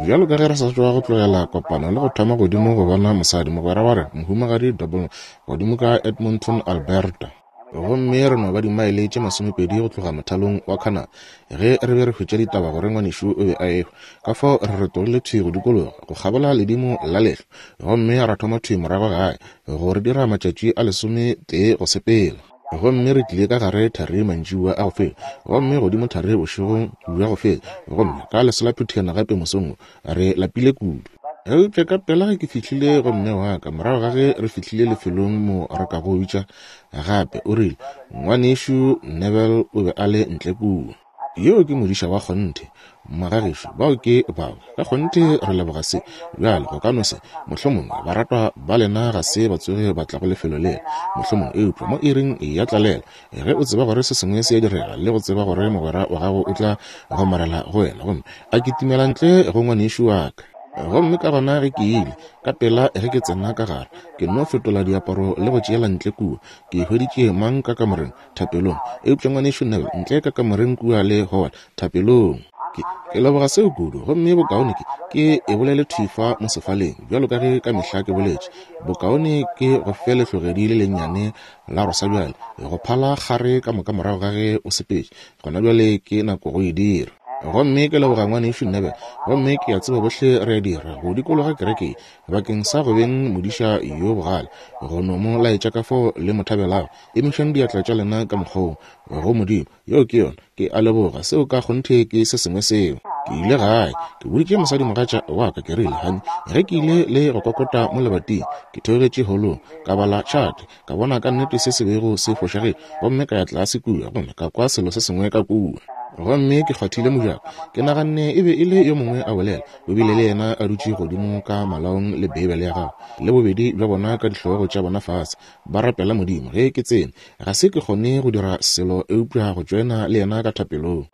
Bjalo ka ge re sa tšwa go tlogela kopano le go thoma godimo go bona mosadi, mogwera wa rena, Mohumagadi Double, godimo ka Edmonton, Alberta. Gomme re no ba dimaele tše masomepedi go tloga mothalong wa Canada, ge re be re hwetša ditaba gore ngwanešu o be a ehwa. Ka fao re retogile thwi go dikologa, go kgabola ledimo la lehlwa, gomme ra thoma thwi morago gae, go re dira matšatši a lesometee go sepela. Gomme re tlile ka gare thari mantšiboa a go feta, gomme godimo thari bošegong bja go feta, gomme ka leselaphuthana gape mosong wo. Re lapile kudu. Eupša ka pela ge ke fihlile go mme wa ka, morago ga ge re fihlile lefelong mo re ka go bitša gape, o rile, Ngwanešu Neville o be a le ntle kua. Yo ke modiša wa kgonthe. Magagešo, bao ke bao. Ka kgonthe re leboga se. Bjale, go ka no se, mohlomongwe, baratwa ba lena ga se ba tsoge ba tla go lefelo lela, mohlomongwe, eupša mo iring ya tlalelo, ge o tseba gore se sengwe se a direga, le go tseba gore mogwera wa gago o tla gomarela go wena, gomme a kitimela ntle go ngwanešu wa ka. Gomme ka gona ge ke ile, ka pela ge ke tsena ka gare, ke nno fetola diaparo le go tšeela ntle kua, ke hweditše mang ka kamoreng, thapelong. Eupša Ngwanešu Neville, ntle ka kamoreng kua le Howard, thapelong. Ke, ke leboga seo kudu. Gomme bokaone ke, ke e bolele thwi fa mo sefaleng, bjalo ka ge ka mehla ke boletše. Bokaone ke go fe lehlogedi le lennyane la rosa bjale, go phala kgare ka moka morago ga ge o sepetše. Gona bjale ke nako go e dira. Gomme ke leboga Ngwanešu Neville. Gomme ke a tseba bohle re a dira, go dikologa kereke ye, bakeng sa go beng modiša yo bogale, go no mo laetša ka fao le mo thabelago. Emišang diatla tša lena ka mokgwa wo, go Modimo. Yeo ke yona. Ke a leboga. Seo ka kgonthe ke se sengwe seo. Ke ile gae. Ke boditše mosadimogatša wa ka, ke rile, Honey, ge ke ile le go kokota mo lebating, ke theogetše holong, ka bala tšhate, ka bona ka nnete se se bego se fošagetše, gomme ka ya tlase kua gomme ka kwa selo se sengwe ka kua. Gomme ke kgwathile mojako. Ke naganne e be e le yo mongwe a bolela. O bile le yena a dutše godimo ka malaong le Beibele ya gagwe, le bobedi bja bona ka dihlogo tša bona fase, ba rapela Modimo. Ge ke tsene, ga se ke kgone go dira selo eupša go tšoena le yena ka thapelong.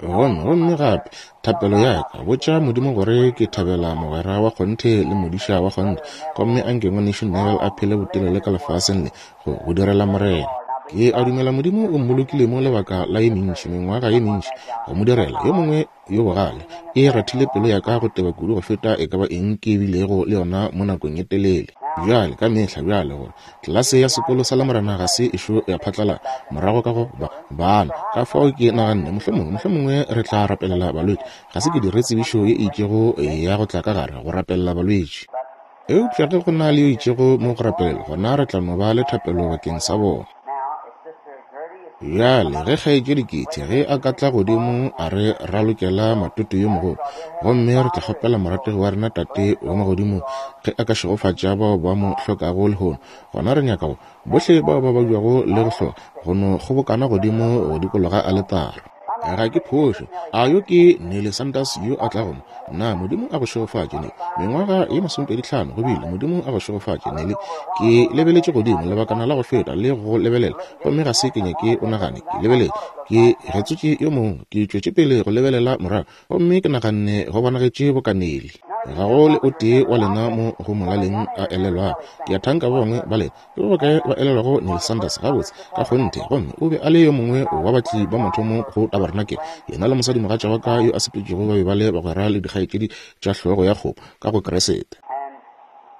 Gomme, gomme gape, thapelo ya ka, botša Modimo gore ke thabela mogwera wa kgonthe le modiša wa kgonthe, gomme anke Ngwanešu Neville a phele botelele ka lefaseng le, go, go direla Morena. Ke a dumela Modimo o mmolokile mo lebaka la ye mentši, mengwaga ye mentši, go mo direla. Yo mongwe yo bogale, e rathile pelo ya ka go teba kudu go feta e ka ba eng ke bilego le yona mo nakong ye telele. Bjale, ka mehla bjale, gore tlelase ya sekolo sa Lamorena ga se ešo ya phatlala morago ka go ba bana, ka fao ke naganne mohlomongwe, mohlomongwe re tla rapelela balwetši. Ga se ke dire tsebišo ye e itšego ya go tla ka gare go rapelela balwetši. Eupša ge go na le yo itšego mo go rapelelwa, gona re tla no ba le thapelo bakeng sa bona. Bjale, ge Kgaetšedi Kitty, ge a ka tla godimo a re ralokela matoto yo mogolo, gomme re tla kgopela morategi wa rena Tate wa Magodimo ge a ka šegofatša bao ba mo hlokago lehono, gona re nyaka go, bohle bao ba babjago le go hloka, go no kgobokana godimo go dikologa aletara. Ga ke phošo. A yo ke Nellie Sanders yo a tlago mo? Na Modimo a go šegofatše, Nellie. Mengwaga ye masomepeditlhano go bile. Modimo a go šegofatše, Nellie. Ke lebeletše godimo lebakana la go feta le go lebelela, gomme ga se ke nyake o nagane ke lebeletše. Ke getsotše yo mongwe. Ke tšwetše pele go lebelela morago, gomme ke naganne go bonagetše boka Nellie. Ga go le o tee wa lena mo go molaleng a elelwago. Ke a thanka ba bangwe ba lena. Ke ba bakae ba elelwago Neil Sanders? Gabotse, ka kgonthe. Gomme o be a le yo mongwe wa batli ba mathomo go tabarenakele. Yena le mosadimogatša wa ka yo a sepetšego ba be ba le bagwera le dikgaetšedi tša hlogo ya kgomo ka go Kriste.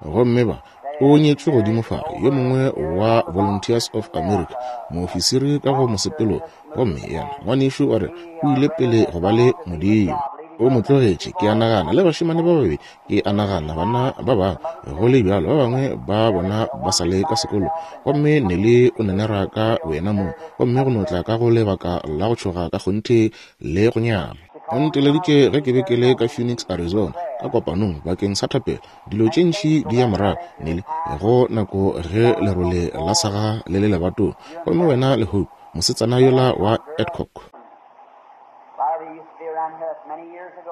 Gomme ba, o nyetšwe godimo fa, yo mongwe wa Volunteers of America, moofisiri ka go mosepelo. Gomme yena, ngwanešu wa rena, o ile pele go ba le Modimo. O mo tlogetše, ke a nagana, le bašemane ba babedi, Ke a nagana bana ba bangwe, go le bjalo, ba bangwe ba bona ba sa le ka sekolong. Gomme Nelly o nenera ka boyena mong, gomme go no tla ka go lebaka la go tšhoga ka kgonthe le go nyama. O nteleditše ge ke be ke le ka Phoenix, Arizona, ka kopanong bakeng sa thapelo. Dilo tše ntši di ya morago, Nelly, go nako ge lerole la saga le le lebatong. Gomme wena le Hope, mosetsana yola wa Adcock.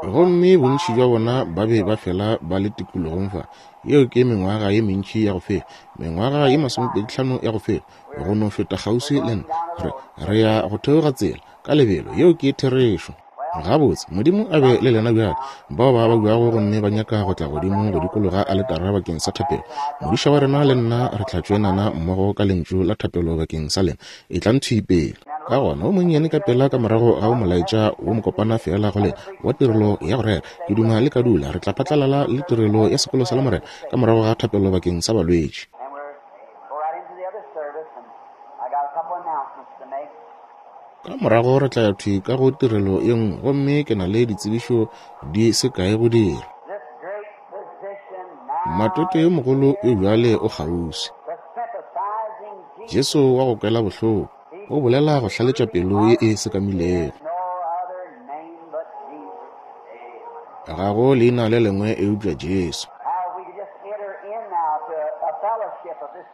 Gomme bontši bja bona ba be ba fela ba le tikologong fa. Yeo ke mengwaga ye mentši ya go feta, mengwaga ye masomepeditlhano ya go feta, go no feta kgauswi le nna. Re, re ya go theoga tsela, ka lebelo. Yeo ke therešo. Gabotse, Modimo a be le lena bjale, bao ba babjago gomme ba nyaka go tla godimo go dikologa aletara bakeng sa thapelo. Modiša wa rena le nna re tla tšoenana mmogo ka lentšu la thapelo bakeng sa lena. Etlang thwi pele. Ka gona wo monnyane ka pela ka morago ga wo molaetša wo mokopana feela go lena wa tirelo ya go rera, ke duma le ka dula, re tla phatlalala le tirelo ya sekolo sa Lamorena ka morago ga thapelo bakeng sa balwetši. Ka morago re tla ya thwi ka go tirelo ye nngwe, gomme ke na le ditsebišo di se kae go dira. Matwetwe yo mogolo yo bjale o kgauswi. Jesu wa go kwela bohloko o bolela go hlaletša pelo ye e sekamilego. Ga go leina le lengwe eupša Jesu.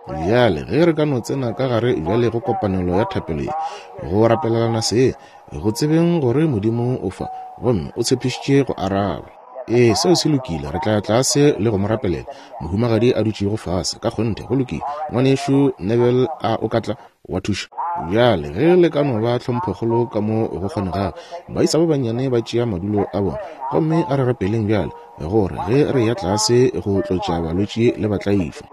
Bjale, ge re ka no tsena ka gare bjale go kopanelo ya thapelo ye, go rapelelana se, go tsebeng gore Modimo o fa, gomme o tshepišitše go araba. Ee, seo se lokile. Re tla ya tlase le go mo rapelela. Mohumagadi a dutšego fase. Ka kgonthe, go lokile. Ngwanešu Neville, a o ka tla wa thuša? Bjale, ge le ka no ba tlhomphokgolo ka mo go kgonegago, baisa ba bannyane ba tšea madulo a bona. Gomme a re rapeleng bjale, gore ge re ya tlase go tlotša balwetši le batlaišwa,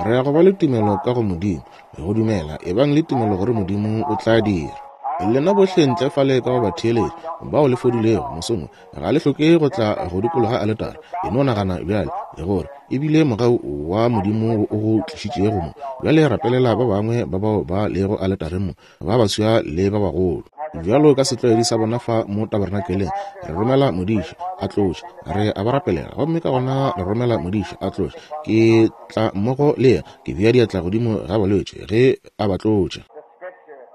re ya go ba le tumelo ka go Modimo, go dumela, ebang le tumelo gore Modimo o tla dira. Lena bohle ntle fale ka go batheeletši bao le fodilego mosong wo, Ga le hloke go tla go dikologa aletare. E no nagana bjale gore e bile mogau wa Modimo wo o go tlišitšego mo. Bjale rapelela ba bangwe ba bao ba lego aletareng mo, ba baswa le ba bagolo. Bjalo ka setlwaedi sa bona fa mo tabernakeleng, re romela modiši a tlotše, re a ba rapelela, gomme ka gona re romela modiši a tlotše. Ke tla mmogo le yena, ke bea diatla godimo ga balwetši ge a ba tlotša.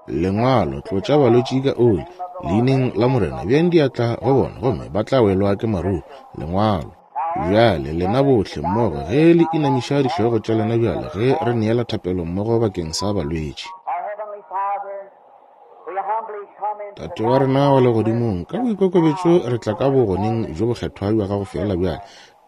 Lengwalo, tlotša balwetši ka oli, leineng la Morena, beang diatla go bona, gomme ba tla welwa ke maruru. Lengwalo. Bjale, lena bohle mmogo, ge le inamiša dihlogo tša lena bjale, ge re neela thapelo mmogo bakeng sa balwetši. Tate wa rena wa Legodimong, ka boikokobetšo re tla ka bogoneng bjo bokgethwa bja gago feela bjale,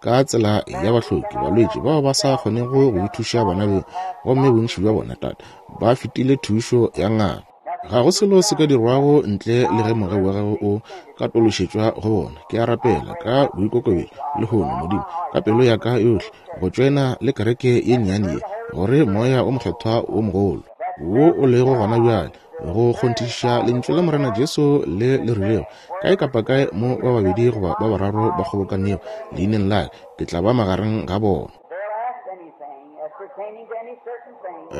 ka tsela ya bahloki, balwetši bao ba sa kgonego go ithuša bona beng, gomme bontši bja bona, Tate, ba fetile thušo ya ngaka. Ga go selo se ka dirwago ntle le ge mogau wa gago o ka tološetšwa go bona. Ke a rapela ka boikokobetšo lehono, Modimo, ka pelo ya ka yohle, go tšoena le kereke ye nnyane ye, gore Moya wo Mokgethwa wo mogolo wo o lego gona bjale, go kgonthišiša Lentšu la Morena Jesu le le rilego, Kae kapa kae mo ba babedi goba ba bararo ba kgobokanego leineng la ka, ke tla ba magareng ga bona.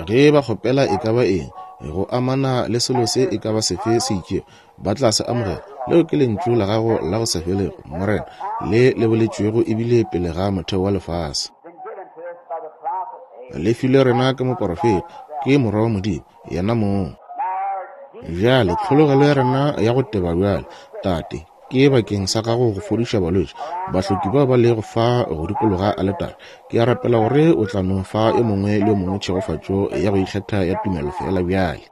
Ge ba kgopela e ka ba eng go amana le selo se e ka ba sefe se itšego, ba tla se amogela. Leo ke lentšu la gago la go sa felego, Morena, le le boletšwego ebile pele ga motheo wa lefase. Le filwe rena ke moporofeta, ke Morwa wa Modimo, yena mong. Bjale, tlhologelo ya rena ya go teba bjale, Tate, ke bakeng sa Gago go fodiša balwetši, bahloki bao ba lego fa go dikologa aletare. Ke a rapela gore O tla no fa yo mongwe le yo mongwe tšhegofatšo ya go ikgetha ya tumelo feela bjale.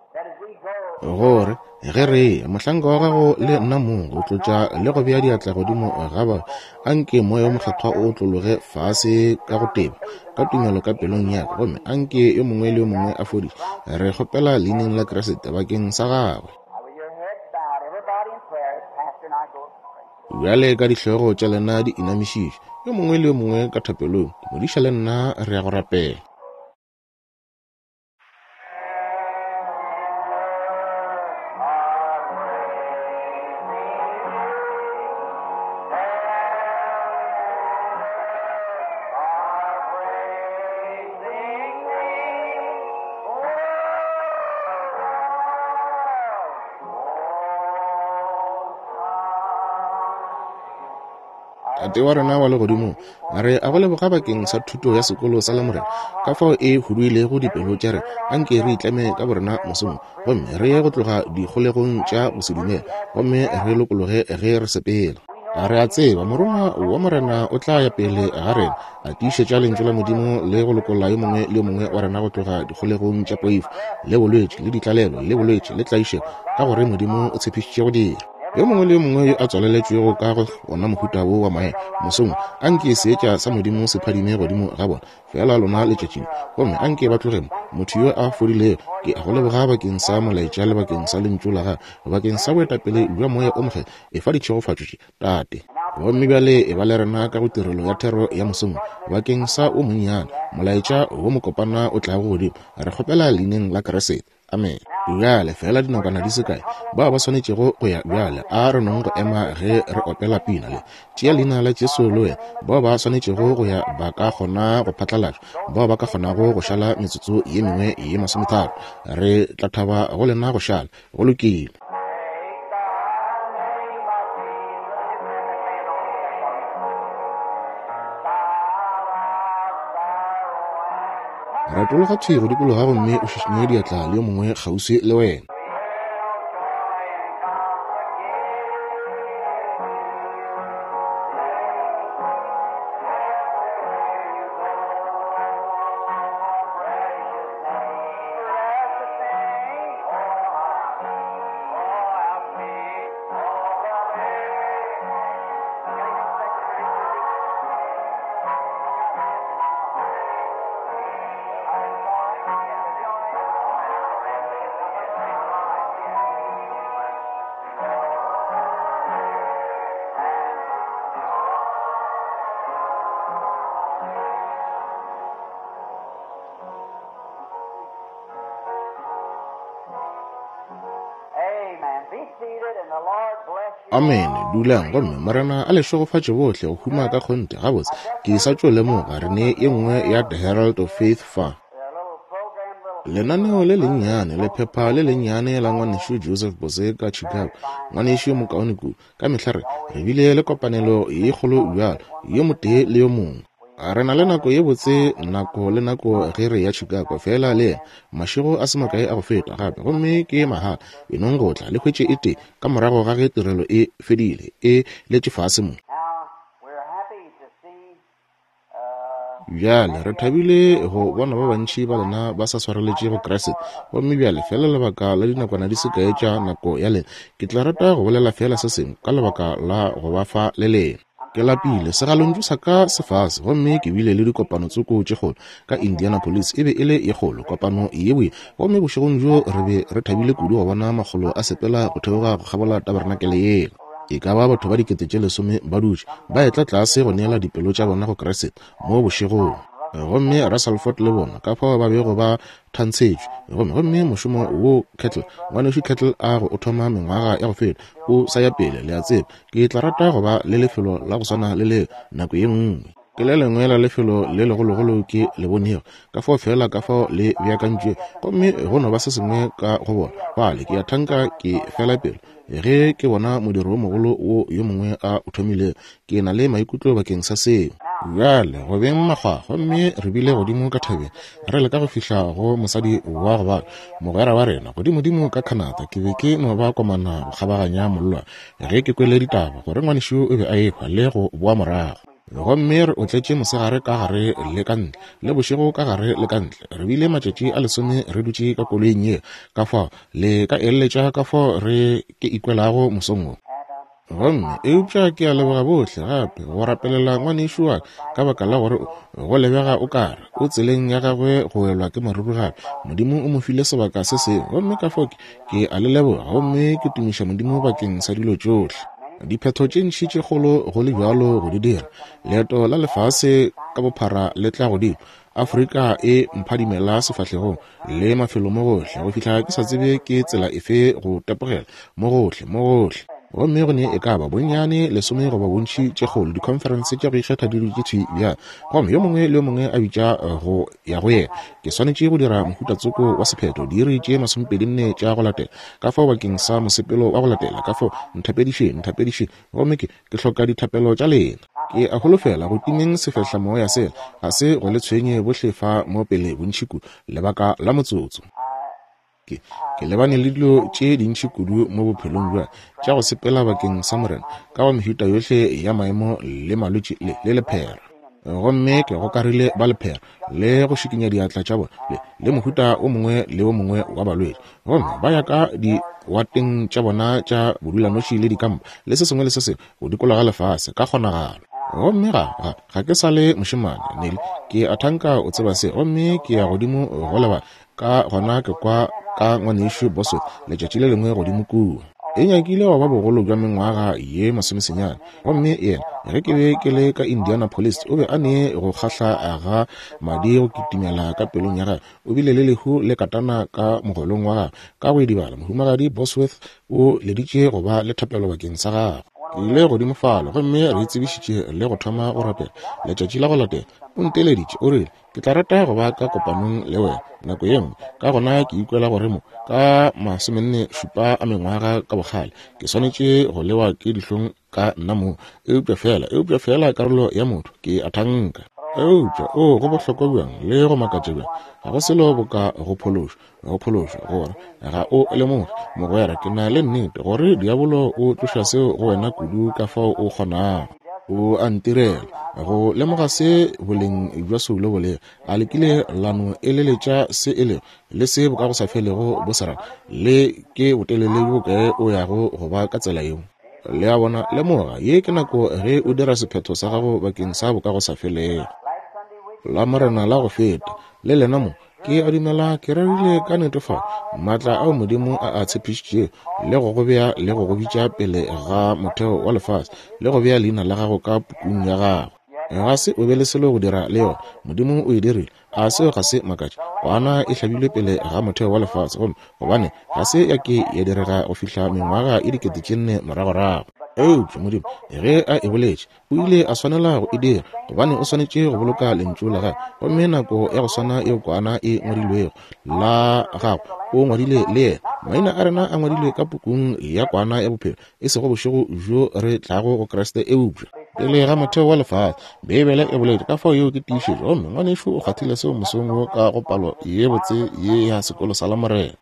Gore, ge re eya, mohlanka wa Gago le nna mong, go tlotša le go bea diatla godimo ga ba, a nke Moya wo Mokgethwa o otlologe fase ka go teba, ka tumelo ka pelong ya ka, gomme a nke yo mongwe le yo mongwe a fodiše. Re kgopela Leineng la Kriste, bakeng sa gagwe. Bjale ka dihlogo tša lena di inamišitšwe, yo mongwe le yo mongwe ka thapelong, modiša le nna re ya go rapela. Tate wa rena wa legodimong, re a go leboga bakeng sa thuto ya sekolo sa Lamorena, ka fao e huduilego dipelo tša rena. Anke re itleme ka borena mosong gomme re ye go tloga dikgolegong tša go se dumele, gomme re lokologe ge re sepela. Re a tseba Morongwa wa Morena o tla ya pele ga rena, a tiišetša Lentšu la Modimo le go lokolla yo mongwe le yo mongwe wa rena go tloga dikgolegong tša poifo le bolwetši le ditlalelo le bolwetši le tlaišego, ka gore Modimo o tshepišitše go dira. Yo mongwe le yo mongwe yo a tswaleletšwego ka go ona mohuta wo wa maemo, mosong wo, a nke seetša sa Modimo se phadime godimo ga bona, feela lona letšatši le, gomme a nke ba tloge mo. Motho yo a fodilego, ke a go leboga bakeng sa molaetša le bakeng sa Lentšu la Gago, bakeng sa boetapele bja Moya o Mokgethwa. Efa ditšhegofatšo tše, Tate. Gomme bjale e ba le rena ka go tirelo ya thero ya mosong wo, bakeng sa wo monnyane, molaetša wo mokopana o tlago godimo. Re kgopela Leineng la Kriste. Amene. Bjale, feela dinakwana di se kae, bao ba swanetšego go ya bjale, a re nong go ema ge re opela pina le Tšea Leina la Jesu le Wena. Bao ba swanetšego go ya ba ka kgona go phatlalatšwa, bao ba ka kgonago go šala metsotso ye mengwe ye masometharo, re tla thaba go lena go šala. Go lokile. Retologa thwi go dikologa gomme o šišinye diatla le yo mongwe kgauswi le wena. Amene. Dulang, gomme Morena a le šegofatše bohle go huma ka kgonthe. Gabotse, ke sa tšo lemoga re ne ye nngwe ya The Herald of Faith fa. Lenaneo le lennyane, lephepha le lennyane la Ngwanešu Joseph Boze ka Chicago, ngwanešu yo mokaone kudu. Ka mehla re, re bile le kopanelo ye kgolo bjalo, yo motee le yo mongwe. Re na le nako ye botse nako le nako ge re ya Chicago, feela le yena, mašego a se makae a go feta gape, gomme ke mahala. E nong go tla, le hwetše e tee ka morago ga ge tirelo e fedile, e letše fase mo. Bjale, re thabile go bona ba bantši ba lena ba sa swareletše go Kriste. Gomme bjale, feela lebaka la dinakwana di se kae tša nako ya lena, ke tla rata go bolela feela se sengwe ka lebaka la go ba fa le lena. Ke lapile, segalontšu sa ka se fase, gomme ke bile le dikopano tsoko tše kgolo ka Indianapolis. E be e le ye kgolo, kopano ye boima. Gomme bošegong bjo re be re thabile kudu go bona makgolo a sepela go theoga go kgabola taberenakele yela. E ka ba batho ba 10,000 ba dutše, ba etla tlase go neela dipelo tša bona go Kriste mo bošegong. Gomme Russell Ford le bona, ka fao ba bego ba thantshetšwe. Gomme, gomme mošomo wo Kettle, Ngwanešu Kettle a go o thoma mengwaga ya go feta, o sa ya pele, le a tseba. Ke tla rata go ba le lefelo la go swana le leo nako ye nngwe. Ke le lengwe la lefelo le legologolo ke le bonego, ka fao feela ka fao le beakantšwe, gomme go no ba se sengwe ka go bona. Bale, ke a thanka ke fela pelo ge ke bona modiro wo mogolo wo yo mongwe a o thomilego. Ke na le maikutlo bakeng sa seo. Bjale, go beng makgwa, gomme re bile godimo ka thabeng, re leka go fihla go mosadi wa go bala, mogwera wa rena, godimodimo ka Canada. Ke be ke no ba komana go kgabaganya mollwane ge ke kwele ditaba gore ngwanešu o be a ehwa le go boa morago. Gomme re otletše mosegare ka gare le ka ntle, le bošego ka gare le ka ntle. Re bile matšatši a lesome re dutše ka koloing ye. Ka fao le ka eleletša ka fao re ke ikwelago mosong wo. Gomme, eupša ke a leboga bohle gape go rapelela ngwanešu wa ka baka la gore go lebega o kare o tseleng ya gagwe go welwa ke maruru gape. Modimo o mo file sebaka se sengwe, gomme ka fao ke, ke a le leboga gomme ke tumiša Modimo bakeng sa dilo tšohle. Diphetho tše ntši tše kgolo go le bjalo go di dira. Leeto la lefase ka bophara le tla godimo. Afrika e mphadimela sefahlegong le mafelo mo gohle go fihla ke sa tsebe ke tsela efe go tepogela mo gohle mo gohle. Gomme go ne e ka ba bonnyane lesome goba bontši tše kgolo dikhonferense tša go ikgetha di dutše thwi bjale, gomme yo mongwe le yo mongwe a bitša go ya go yena. Ke swanetše go dira mohuta tsoko wa sephetho diiri tše masomepedinne tša go latela, ka fao bakeng sa mosepelo wa go latela, ka fao nthapedišeng, nthapedišeng. Gomme ke, ke hloka dithapelo tša lena. Ke a holofela go timeng sefehlamoya sela ga se go le tshwenye bohle fa mo pele bontši kudu, lebaka la motsotso. Ke, ke lebane le dilo tše dintši kudu mo bophelong bja tša go sepela bakeng sa Morena, ka go mehuta yohle ya maemo le malwetši le, le lephera. Gomme ke gokarile ba lephera le go šikinya diatla tša bona le, le mohuta o mongwe le o mongwe wa balwetši. Gomme ba ya ka diwateng tša bona tša bodulanoši le dikampa le se sengwe le se sengwe go dikologa lefase ka kgonagalo. Gomme ga, ga, ga ke sa le mošemane, Nelly, ke a thanka o tseba se. Gomme ke ya godimo go lebala, ka gona ke kwa ka Ngwanešu Bosworth letšatši le lengwe godimo kua. E nyakile go ba bogolo bja mengwaga ye masomesenyane. Gomme yena, ge ke be ke le ka Indianapolis, o be a ne go kgahla ga madi go kitimela ka pelong ya gagwe. O bile le lehu le katana ka mogolong wa gagwe, ka go idibala. Mohumagadi Bosworth o leditše go ba le thapelo bakeng sa gagwe. Ke ile godimo fale gomme re itsebišitše le go thoma go rapela. Letšatši la go latela, o nteleditše, o rile, Ke tla rata go ba ka kopanong le wena nako ye nngwe. Ka gona ke ikwela gore mo, ka 47 a mengwaga ka bokgale, ke swanetše go lewa ke dihlong ka nna mong. Eupša feela, eupša feela karolo ya motho, ke a thanka. Eupša, oo, go bohlokwa bjang le go makatša bjang! Ga go selo boka go phološwa, go phološwa, gore ga o lemoge, mogwera, ke na le nnete gore diabolo o tloša seo go wena kudu ka fao o kgonago. O a ntirela go lemoga se boleng bja soulo bo lego. A le kile la no eleletša se e lego, le se bokagosafelego bo se rago, le ke botelele bjo bokae o yago go ba ka tsela yeo? Le a bona? Lemoga, ye ke nako ge o dira sephetho sa gago bakeng sa bokagosafelego. Lamorena la go feta, le lena mo, Ke a dumela ke rerile ka netefatšo maatla ao Modimo a a tshepišitšego le go go bea le go go bitša pele ga motheo wa lefase le go bea leina la gago ka pukung ya gagwe. Ga se o be le selo go dira le yona. Modimo o e dirile. A seo ga se makatše? Kwana e hlabilwe pele ga motheo wa lefase, gomme gobane ga se ya ke ya direga go fihla mengwaga e 4000 moragorago. Eupša Modimo ge a e boletše, O ile a swanela go e dira, gobane o swanetše go boloka Lentšu la Gagwe. Gomme nako ya go swana yeo Kwana e ngwadilwego, la gago, o ngwadile le yena. Maina a rena a ngwadilwe ka Pukung ya Kwana ya Bophelo, e sego bošego bjo re tlago go Kriste, eupša pele ga motheo wa lefase. Beibele e boletše, ka fao yeo ke tiišetšo. Gomme ngwanešu o kgwathile seo mosong wo ka go palo ye botse ye ya sekolo sa Lamorena.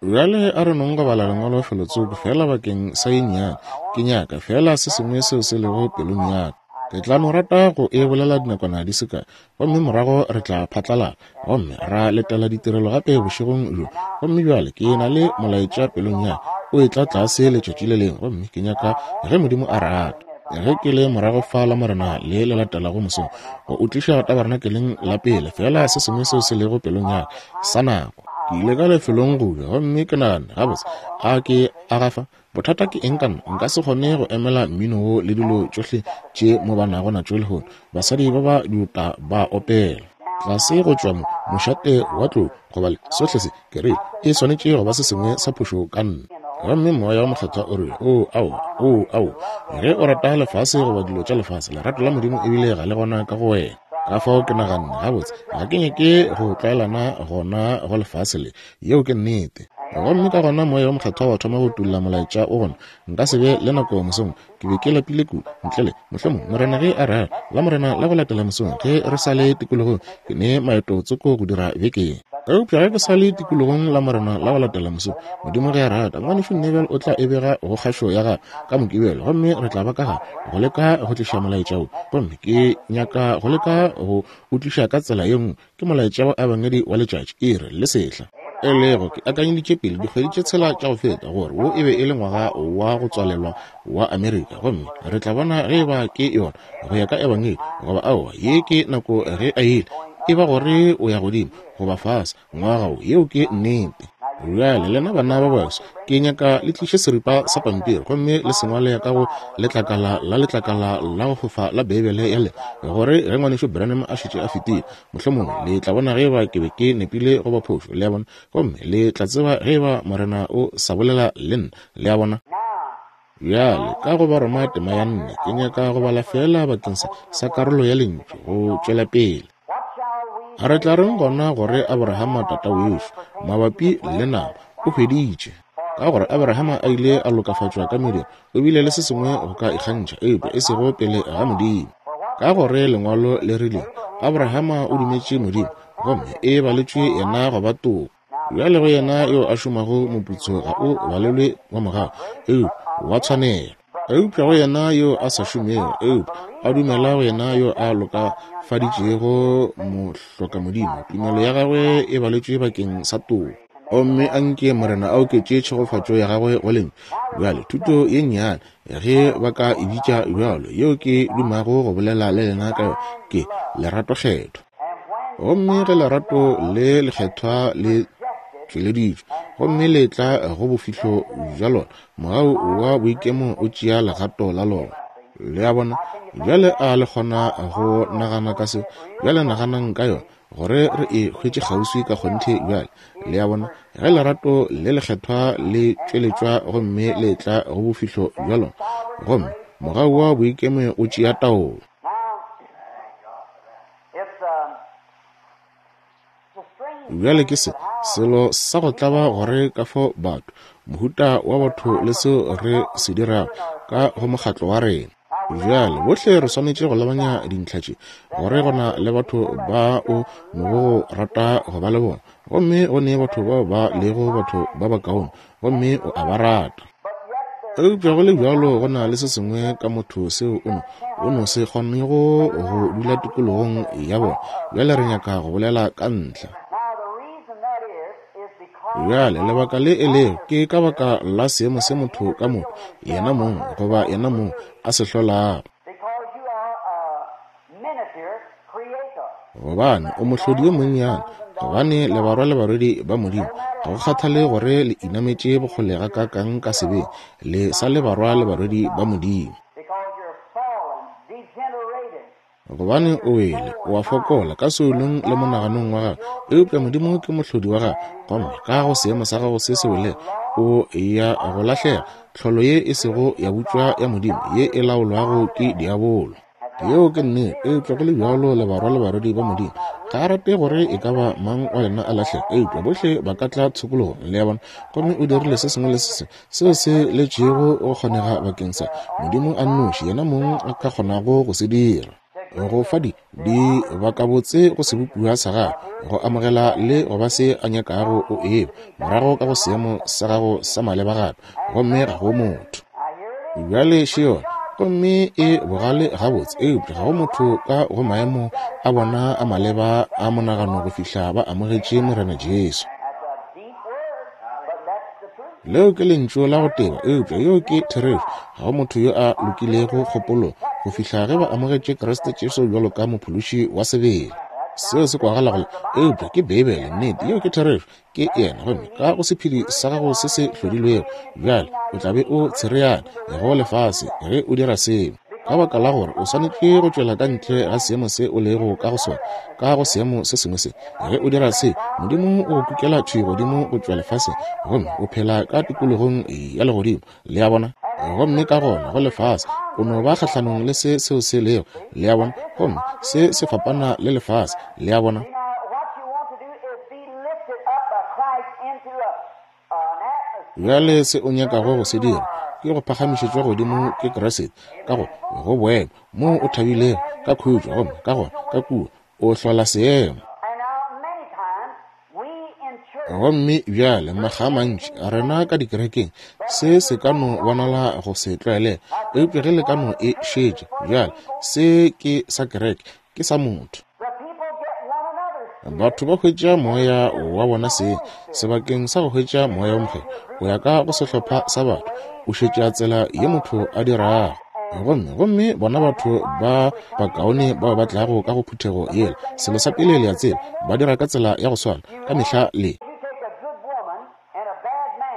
Bjale a re nong go bala Lengwalo felotsoko, feela bakeng sa ye nnyane. Ke nyaka feela se sengwe seo se lego pelong ya ka. Ke tla no rata go e bolela dinakwana di se kae, gomme morago re tla phatlalala gomme ra letela ditirelo gape bošegong bjo. Gomme bjale ke na le molaetša pelong ya ka, o etla tlase letšatši le lengwe, gomme ke nyaka, ge Modimo a rata, ge ke le morago fa Lamorena le le latelago mosong, go o tliša tabernakeleng la pele, feela se sengwe seo se lego pelong ya ka sa nako. Ke ile ka lefelong go ja, gomme ke nagana, Gabotse, a ke a gafa? Bothata ke eng ka nna? Nka se kgone go emela mmino wo le dilo tšohle tše mo ba nago natšo lehono. Basadi ba ba diota ba opela. Tlase go tšwa mo, mošate wa tlou, goba le sohle se, ke rile, e swanetše go ba se sengwe sa phošo ka nna. Gomme Moya wo Mokgethwa o rile, Oo, aowa, oo, aowa. Ge o rata lefase goba dilo tša lefase, lerato la Modimo ebile ga le gona ka go wena. Ka fao ke naganne, Gabotse, ga ke nyake go tlwaelana gona go lefase le. Yeo ke nnete. Gomme ka gona Moya wo Mokgethwa wa thoma go tulla molaetša o gona. Nka se be le nako mosong. Ke be ke lapile kudu. Ntle le, mohlomong, Morena ge a rata, Lamorena la go latela mosong, ge re sa le tikologong, ke ne maeto tsoko go dira bekeng. Eupša ge ke sa le tikologong Lamorena la go latela mosong, Modimo ge a rata, Ngwanešu Neville o tla e bega go kgašo ya gagwe ka Mokibelo, gomme re tla ba ka gare go leka go tliša molaetša wo. Gomme ke nyaka go leka go o tliša ka tsela ye nngwe, Ke molaetša wa Ebangedi wa letšatši, iri, le sehla. E lego, ke akanyeditše pele dikgwedi tše tshela tša go feta gore wo e be e le ngwaga wa go tswalelwa wa Amerika, gomme re tla bona ge eba ke yona go ya ka Ebangedi goba aowa. Ye ke nako ge a ile, e ba gore o ya godimo goba fase ngwaga wo. Yeo ke nnete. Bjale, lena bana ba baso, ke nyaka le tliše seripa sa pampiri gomme le se ngwale ka go letlakala la letlakala la go fofa la Beibele ya lena, gore ge Ngwanešu Branham a šetše a fetile, mohlomongwe le tla bona ge eba ke be ke nepile goba phošo, le a bona, gomme le tla tseba ge eba Morena o sa bolela le nna, le a bona. Bjale, ka go Baroma tema ya nne, ke nyaka go bala feela bakeng sa, sa karolo ya Lentšu go tšwela pele. Re tla reng gona gore Abrahama tata wešo, mabapi le nama, o hweditše? Ka gore Abrahama a ile a lokafatšwa ka mediro, o bile le se sengwe go ka ikgantšha, eupša e sego pele ga Modimo. Ka gore Lengwalo le rile, Abrahama o dumetše Modimo, gomme e baletšwe yena go ba toko. Bjale go yena yo a šomago moputso ga o balelwe wa mogau, eupša wa tshwanelo. Eupša go yena yo a sa šomego, eupša a dumela go yena yo a lokafaditšego mohlokamodimo, tumelo ya gagwe e baletšwe bakeng sa toko. Gomme a nke Morena a oketše tšhegofatšo ya gagwe go lentšu. Bjale, thuto ye nnyane, ge ba ka e bitša bjalo, yeo ke dumago go bolela le lena ka yona, ke, Lerato Kgethwa. Gomme ge lerato le lekgethwa le tšweleditšwe gomme le tla go bofihlo bja lona, mogau wa boikemo o tšea legato la lona. Le a bona? Bjale a le kgona go nagana ka seo? Bjale naganang ka yona, gore re e hwetše kgauswi ka kgonthe bjale. Le a bona? Ge lerato le lekgethwa le tšweletšwa gomme le tla go bofihlo bja lona, gomme mogau wa boikemo o tšea taolo. Bjale ke se, selo sa go tlaba gore ka fao batho, mohuta wa batho le seo re se dirago ka go mokgatlo wa rena. Bjale, bohle re swanetše go lebanya dintlha tše, gore go na le batho ba o nogo go rata go ba le bona, gomme go ne batho bao ba lego batho ba bakaone, gomme o a ba rata. Eupša go le bjalo go na le se sengwe ka motho seo o no, o no se kgonego go dula tikologong ya bona. Bjale re nyaka go bolela ka ntlha. Bjale lebaka le e lego ke ka baka la seemo se motho ka motho yena mong goba yena mong a se hlolago. Gobane o mohlodi yo monnyane, gobane le barwa le barwedi ba Modimo. Ga go kgathale gore le inametše bokgole gakaakang ka sebeng, le sa le barwa le barwedi ba Modimo. Gobane o wele, o a fokola ka soulong le monaganong wa gago, eupša Modimo ke mohlodi wa gago, gomme ka go seemo sa gago se se welego, o ya go lahlega, tlholo ye e sego ya butšwa ya Modimo, ye e laolwago ke diabolo. Yeo ke nnete, eupša go le bjalo le barwa le barwedi ba Modimo. Ga a rate gore e ka ba mang wa lena a lahlege, eupša bohle ba ka tla tshokologong, le a bona. Gomme o dirile se sengwe le se sengwe seo se letšego go kgonega bakeng sa Modimo a nnoši, yena mong a ka kgonago go se dira. Go fa di, di bakabotse go sebopiwa sa gagwe, go amogela le go ba se a nyakago o eba, morago ka go seemo sa gago sa maleba gape, gomme ga go motho. Bjale še yona, gomme e bogale gabotse, eupša ga go motho ka go maemo a bona a maleba a monagano go fihla ba amogetše Morena Jesu. Leo ke lentšu la go teba, eupša yeo ke therešo. Ga go motho yo a lokilego kgopolo go fihla ge ba amogetše Kriste Jesu bjalo ka Mophološi wa sebele. Seo se kwagala go le, eupša ke Beibele, nnete, yeo ke therešo. Ke yena, gomme ka go sephedi sa gago se se hlodilwego bjale o tla be o tshereana go lefase ge o dira seo, ka baka la gore o swanetše go tšwela ka ntle ga seemo se o lego ka go sona, ka go seemo se sengwe se. Ge o dira se, Modimo o go kukela thwi godimo go tšwa lefaseng, gomme o phela ka tikologong ya legodimo. Le a bona? Gomme ka gona go lefase, o no ba kgahlanong le se seo se lego. Le a bona? Gomme se se fapana le lefase. Le a bona? Bjale se o nyakago go se dira ke go phagamišetšwa godimo ke Kriste ka go go boemo moo o thabilego ka khutšo, gomme ka gona ka kua o hlola seemo. Gomme bjale makga a mantši rena ka dikerekeng se se ka no bonala go se tlwaelege, eupša ge le ka no e šetša bjale, se ke sa kereke, ke sa motho. Batho ba hwetša moya wa bona seng sebakeng sa go hwetša moya wo mokgethwa go ya ka go sehlopha sa batho, o šetša tsela ye motho a dirago. Gomme, gomme bona batho ba bakaone bao ba tlago ka go phuthego yela, selo sa pele le a tseba, ba dira ka tsela ya go swana ka mehla le.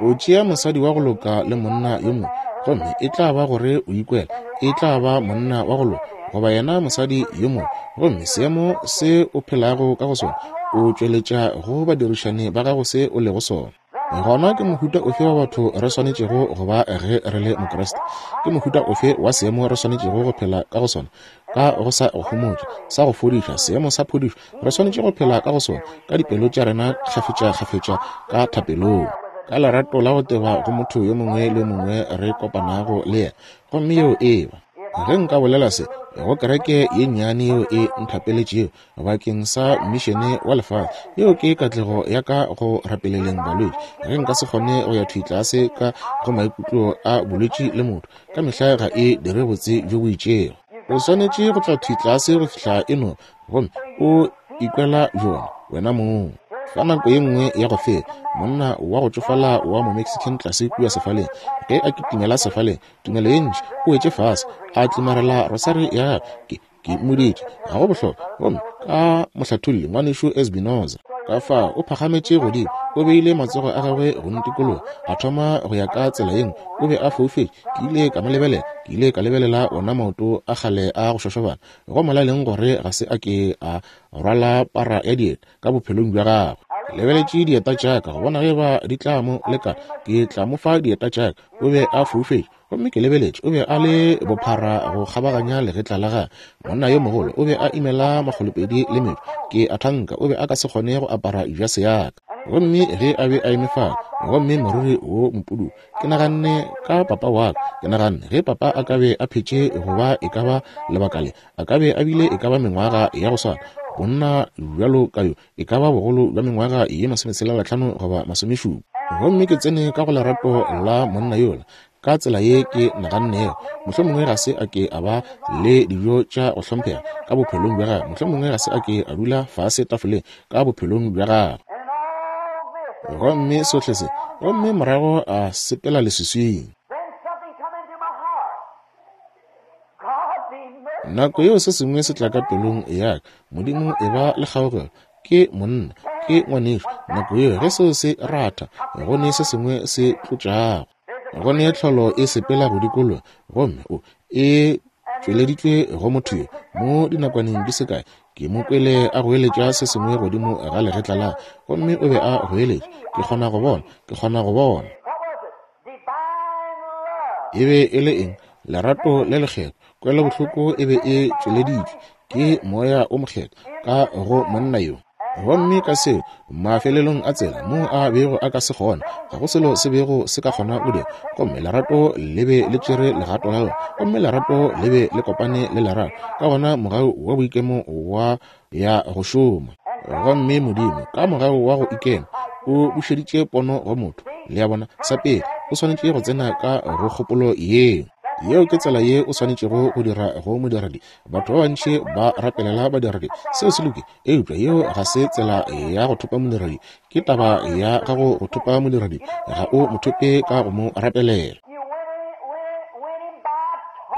O tšea mosadi wa go loka le monna yo mongwe, gomme e tla ba gore o ikwela e tla ba monna wa go loka goba yena mosadi yo mongwe, gomme seemo se o phelago ka go sona, o tšweletša go badirišani ba gago se o lego sona. Gona ke mohuta ofe wa batho re swanetšego go ba ge re le Mokriste? Ke mohuta ofe wa seemo re swanetšego go phela ka go sona? Ka go sa go homotša, sa go fodiša, seemo sa phodišo, re swanetše go phela ka go sona, ka dipelo tša rena kgafetšakgafetša ka thapelong, ka lerato la go teba go motho yo mongwe le yo mongwe re kopanago le yena. Gomme yeo e ba, ge nka bolela se go kereke ye nnyane yeo e nthapeletšego bakeng sa mišene wa lefase, yeo ke katlego ya ka go rapeleleng balwetši. Ge nka se kgone go ya thwi tlase ka go maikutlo a bolwetši le motho, ka mehla ga e dire botse bjo bo itšego. O swanetše go tla thwi tlase go fihla e no, gomme o ikwela bjona wena mong. Fa nako ye nngwe ya go feta, monna wa go tšofala wa Momexican tlase kua sefaleng, ge a kitimela sefaleng, tumelo ye ntši, o wetše fase, a tlimarela rosari ya gagwe. Ke, ke mmoditše, ga go bohlokwa, gomme ka mohlatholli, Ngwanešu Espinoza. Ka fao o phagametše godimo, o beile matsogo a gagwe go ntikologa, a thoma go ya ka tsela ye nngwe. O be a foufetše. Ke ile ka mo lebelela. Ke ile ka lebelela ona maoto a kgale a go šošobana, go molaleng gore ga se a ke a rwala para ya dieta ka bophelong bja gagwe. Ke lebeletše dieta tša ka go bona ge ba di tla mo lekana. Ke tla mo fa dieta tša ka. O be a foufetše. Gomme ke lebeletše, o be a le bophara go kgabaganya legetla la gagwe. Monna yo mogolo, o be a imela makgolopedi le metšo. Ke a thanka o be a ka se kgone go apara jase ya ka. Gomme ge a be a eme fale, gomme moriri wo mopududu, ke naganne ka papa wa ka. Ke naganne ge papa a ka be a phetše go ba e ka ba lebaka le, a ka be a bile e ka ba mengwaga ya go swana, monna bjalo ka yo, e ka ba bogolo bja mengwaga ye masometshela-hlano goba masomešupa. Gomme ke tsene ka go lerato la monna yola, ka tsela ye ke nagannego, mohlomongwe ga se a ke a ba le dijo tša go hlomphega ka bophelong bja gagwe, mohlomongwe ga se a ke a dula fase tafoleng ka bophelong bja gagwe. Gomme sohle se, gomme morago a sepela leswiswing. Nako yeo se sengwe se tla ka pelong ya ka, Modimo e ba le kgaogelo, ke monna, ke ngwanešu. Nako yeo ge seo se ratha, go ne se sengwe se tlotšago. Go ne tlholo e sepela go dikologa, gomme o e tšweleditšwe go motho yo. Mo dinakwaneng di se kae, ke mo kwele a goeletša se sengwe godimo ga legetla la, gomme o be a goeletša, Ke kgona go bona, ke kgona go bona. E be e le eng? Lerato le lekgethwa. Kwelobohloko e be e tšweleditšwe ke Moya o Mokgethwa ka go monna yo. Gomme ka seo, mafelelong a tsela moo a bego a ka se kgona, ga go selo se bego se ka kgona go dira. Gomme lerato le be le tšere legato la lona, gomme lerato le be le kopane le lerato. Ka gona mogau wa boikemo wa ya go šoma. Gomme Modimo, ka mogau wa go ikema, o bušeditše pono go motho. Le a bona? Sa pele, o swanetše go tsena ka go kgopolo yeo. Yeo ke tsela ye o swanetšego go dira go modiredi. Batho ba bantši ba rapelela badiredi. Seo se lokile, eupša yeo ga se tsela ya go thopa modiredi. Ke taba ya gago go thopa modiredi, ga o mo thope ka go mo rapelela.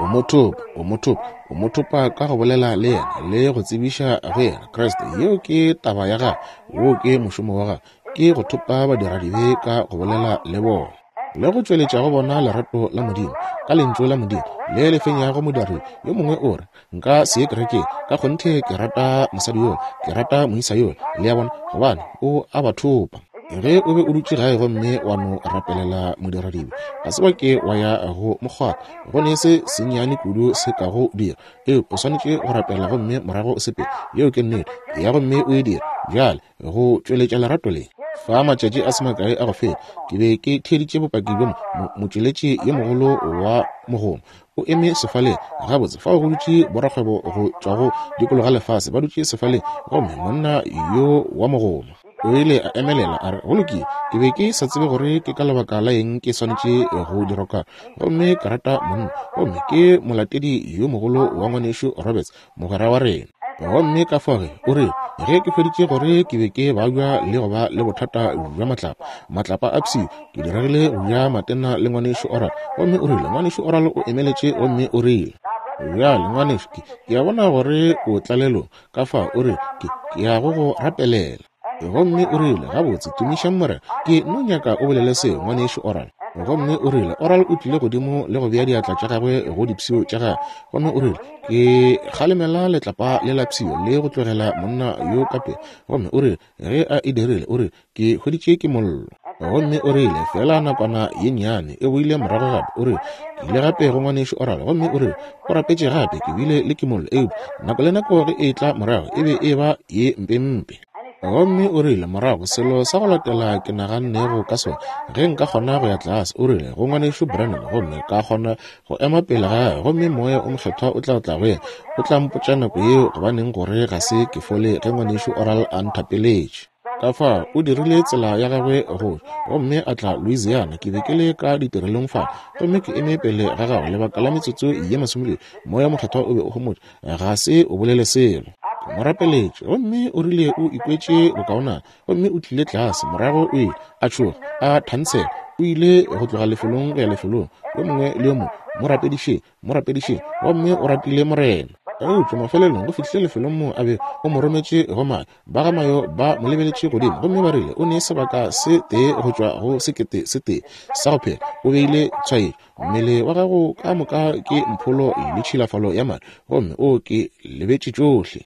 O mo thopa, o mo thopa, o mo thopa ka go bolela le yena le go tsebiša go yena Kriste. Yeo ke taba ya gagwe, woo ke mošomo wa gagwe, ke go thopa badiradibe ka go bolela le bona le go tšweletša go bona lerato la Modimo ka lentšu la Modimo le le fenyago modiri. Yo mongwe o re, Nka se ye kerekeng, ka kgonthe ke rata mosadi yola, ke rata moisa yola. Le a bona, gobane o a ba thopa. Ge o be o dutše gae gomme wa no rapelela modiradibe, ga se wa ke wa ya go mokgwatha, go ne se sennyane kudu se ka go dira. Eupša o swanetše go rapela gomme morago o sepele. Yeo ke nnete. Ya gomme o e dire bjale, go tšweletša lerato le. Fa matšatši a se makae a go feta, ke be ke theeditše bopaki bjo motšweletši yo mogolo wa mogoma o eme sefaleng. Gabotse, fao go dutše borakgwebo go tšwa go dikologa lefase, ba dutše sefaleng, gomme monna yo wa mogoma o ile a emelela a re, Go lokile, ke be ke sa tsebe gore ke ka lebaka la eng ke swanetše go dira ka, gomme ke rata monna, gomme ke molatedi yo mogolo wa ngwanešu Roberts, mogwera wa rena. Gomme ka fao ge, o re, ge ke hweditše gore ke be ke babja le go ba le bothata bja matlapa, matlapa a pshio, ke diregile go ja matena le ngwanešu Oral. Gomme o rile, Ngwanešu Oral o emeletše gomme o rile, Bjale, ngwanešu, ke, ke a bona gore o tlalelong. Ka fao o rile, Ke, ke ya go go rapelela. Gomme o rile, Gabotse, tumišang Morena. Ke no nyaka o bolele seo, Ngwanešu Oral. Gomme o rile, Oral o tlile godimo le go bea diatla tša gagwe go dipshio tša gagwe. Gomme o rile, Ke kgalemela letlapa le la pshio le go tlogela monna yo ka pele. Gomme o rile, ge a e dirile, o rile, Ke hweditše ke mollo. Gomme o rile, feela nakwana ye nnyane, e boile morago gape. O rile, Ke ile gape go Ngwanešu Oral, gomme o rile, o rapetše gape, ke bile le kimollo, eupša nako le nako ge e tla morago, e be e ba ye mpempe. Gomme o rile, morago, selo sa go latela ke nagannego ka sona, ge nka kgona go ya tlase, o rile, go Ngwanešu Branham, gomme ka kgona go ema pele ga gagwe, gomme Moya o Mokgethwa o tla tla go yena, o tla mpotša nako yeo gobaneng gore ga se ke fole ge Ngwanešu Oral a nthapeletše. Ka fao o dirile tsela ya gagwe go tšwa, gomme a tla Louisiana. Ke be ke le ka ditirelong fale, gomme ke eme pele ga gagwe lebaka la metsotso ye masomepedi. Moya Mokgethwa o be o homotše, ga se o bolele selo. Ke mo rapeletše, gomme o rile o ikwetše bokaonana, gomme o tlile tlase. Morago o ile a tšhoga, a thansela, o ile go tloga lefelong go ya lefelong, yo mongwe le yo mongwe, mo rapedišeng, mo rapedišeng, gomme o ratile Morena. Eupša mafelelong go fihlile lefelong moo a be o mo rometše go Mayo. Ba ga Mayo ba mo lebeletše godimo gomme ba rile o ne sebaka se tee go tšwa go sekete se tee sa go phela. O beile tshwaetšo. Mmele wa gago ka moka ke mpholo le tšhilafalo ya madi, gomme o ke lebetše tšohle.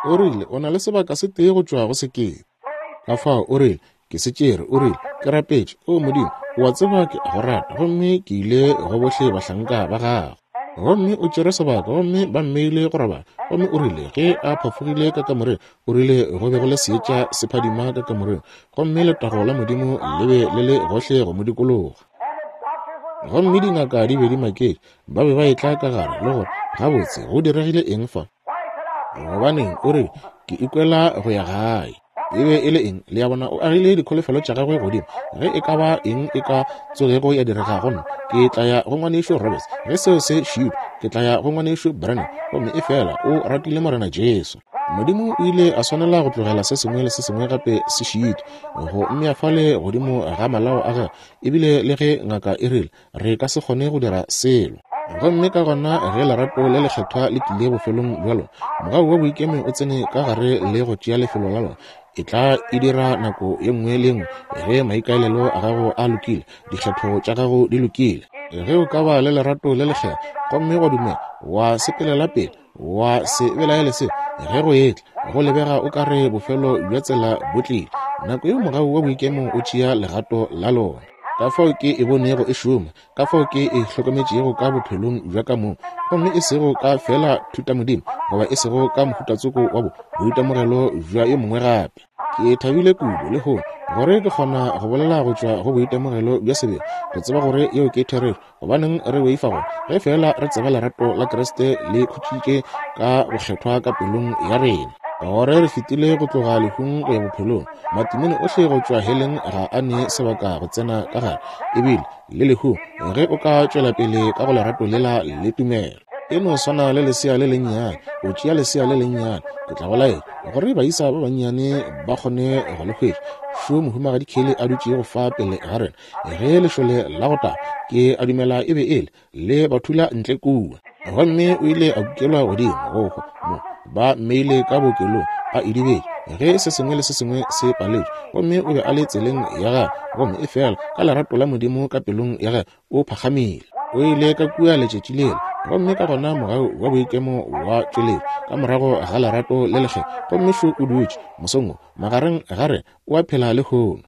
O rile o na le sebaka se tee go tšwa go sekete. Ka fao o rile, Ke se tšere, o rile, ke rapetše, O Modimo, o a tseba ke a go rata, gomme ke ile go bohle bahlanka ba gago. Gomme o tšere sebaka, gomme ba mmeile go robala. Gomme o rile ge a phafogile ka kamoreng, o rile go be go le seetša se phadima ka kamoreng, gomme letago la Modimo le be le le gohle go mo dikologa. Gomme dingaka di be di maketše, ba be ba etla ka gare le gore, Gabotse, go diregile eng fa? Gobaneng, o rile, ke ikwela go ya gae. E be e le eng? Le a bona, o agile dikholofelo tša gagwe godimo. Ge e ka ba eng e ka tsogego ya direga go nna, ke tla ya go Ngwanešu Roberts. Ge seo se šiupa, ke tla ya go Ngwanešu Branham. Gomme efela o ratile Morena Jesu. Modimo o ile a swanela go tlogela se sengwe le se sengwe gape se šitwe, go mmea fale godimo ga malao a gagwe. Ebile le ge ngaka e rile, Re ka se kgone go dira selo. Gomme ka gona ge lerato le lekgethwa le tlile bofelong bja lona, mogau wa boikemo o tsene ka gare le go tšea lefelo la lona. E tla e dira nako ye nngwe le ye nngwe ge maikaelelo a gago a lokile, dikgetho tša gago di lokile. Ge o ka ba le lerato le lekgethwa gomme wa dumela, wa sepelela pele, wa se belaele se, ge go etla, go lebega o ka re bofelo bja tsela bo tlile, nako yeo mogau wa boikemo o tšea legato la lona. Ka fao ke e bonego e šoma, ka fao ke e hlokometšego ka bophelong bja ka mong, gomme e sego ka feela thutamodimo, goba e sego ka mohutatsoko wa bo boitemogelo bja yo mongwe gape. Ke thabile kudu lehono gore ke kgona go bolela go tšwa go boitemogelo bja sebele, go tseba gore yeo ke therešo. Gobaneng re boifa gore ge feela re tseba lerato la Kriste le khutšitše ka bokgethwa ka pelong ya rena, gore re fetile go tloga lehung go ya bophelong, matimone ohle go tšwa heleng ga a ne sebaka go tsena ka gare, ebile le lehung, ge o ka tšwela pele ka go lerato lela le tumelo. E no swana le lesea le lennyane, o tšea lesea le lennyane, ke tla go laetša gore baisa ba bannyane ba kgone go le hwetša. Šo Mohumagadi Kelly a dutšego fa pele ga rena, Ge lešole la go taba, ke a dumela e be e le, le ba thula ntle kua. Gomme o ile a kukelwa godimo go hwa mo, ba mmeile ka bookelong a idibetše, ge se sengwe le se sengwe se paletšwe. Gomme o be a le tseleng ya gagwe, gomme efela ka lerato la Modimo ka pelong ya gagwe, o phakgamile. O ile ka kua letšatši lela, gomme ka gona mogau wa boikemo wa tšweletšwa ka morago ga lerato le lekgethwa. Gomme šo o dutše, mosong wo, magareng ga rena, o a phela lehono.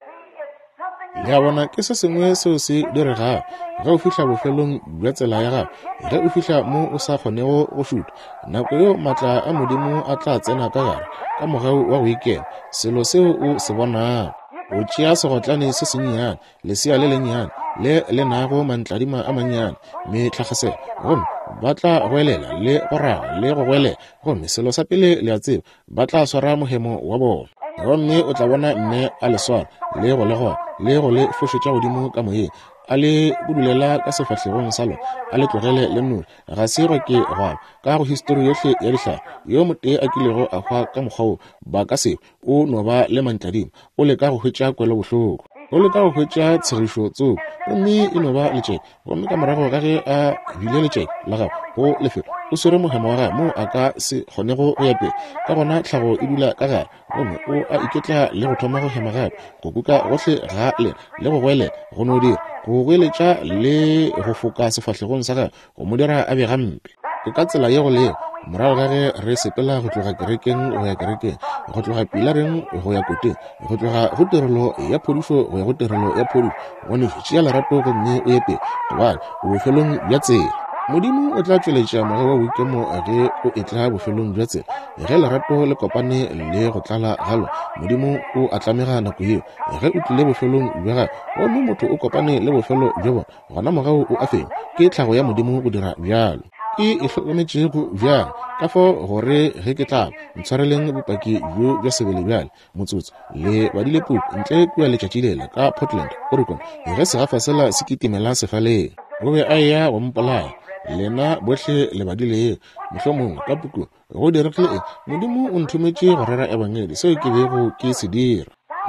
Le a bona, ke se sengwe seo se diregago ge o fihla bofelong bja tsela ya gago, ge o fihla mo o sa kgonego go šutha, nako yeo maatla a Modimo a tla tsena ka gare ka mogau wa go ikema, selo seo o se bonago. O tšea segotlane se sennyane, lesea le lennyane le le nago mantladima a mannyane, metlhagaselo, gomme ba tla goelela le go raga le go goelela, gomme selo sa pele le a tseba, ba tla swara mohemo wa bona. Gomme o tla bona mme a le swara le go le goga le go le fošetša godimo ka moyeng, a le budulela ka sefahlegong sa lona, a le tlogele le nnoši. Ga se gwa ke gwa ba ka go histori yohle ya dihlare yo motee a kilego a hwa ka mokgwa wo. Ba ka se hwe. O no ba le mantladima. O leka go hwetša kwelobohloko. O leka go hwetša tshegišo tsoko, gomme e no ba letšeke. Gomme ka morago ga ge a bile letšeke la gagwe go lefelo, o swere mohemo wa gagwe moo a ka se kgonego go ya pele. Ka gona tlhago e dula ka gare, gomme o a iketla le go thoma go hema gape, go kuka gohle ga lena le go goelela, go no dira, go goeletša le go foka sefahlegong sa gagwe, go mo dira a be gampe. Ke ka tsela ye go lego, morago ga ge re sepela go tloga kerekeng go ya kerekeng, go tloga pilareng go ya koteng, go tloga go tirelo ya phodišo go ya go tirelo ya phodišo, ngwanešu, tšea lerato gomme o ye pele, gobane o bofelong bja tsela. Modimo o tla tšweletša moya wa boikemo ge o etla bofelong bja tsela. Ge lerato le kopane le go tlala ga lona, Modimo o a tlamega nako yeo. Ge o tlile bofelong bja gagwe gomme motho o kopane le bofelo bja bona, gona mogau o a fenya. Ke tlhago ya Modimo go dira bjalo. Ke e hlokometšego bjalo, ka fao gore ge ke tla ba, ntshwareleng bopaki bjo bja sebele bjale, motsotso. Le badile puku ntle kua letšatši lela ka Portland, Oregon, ge segafa sela se kitimela sefaleng. O be a eya go mpolaya. Lena bohle le badile yeo, mohlomongwe, ka pukung. Go diregile eng? Modimo o nthometše go rera Ebangedi, seo ke bego ke se dira.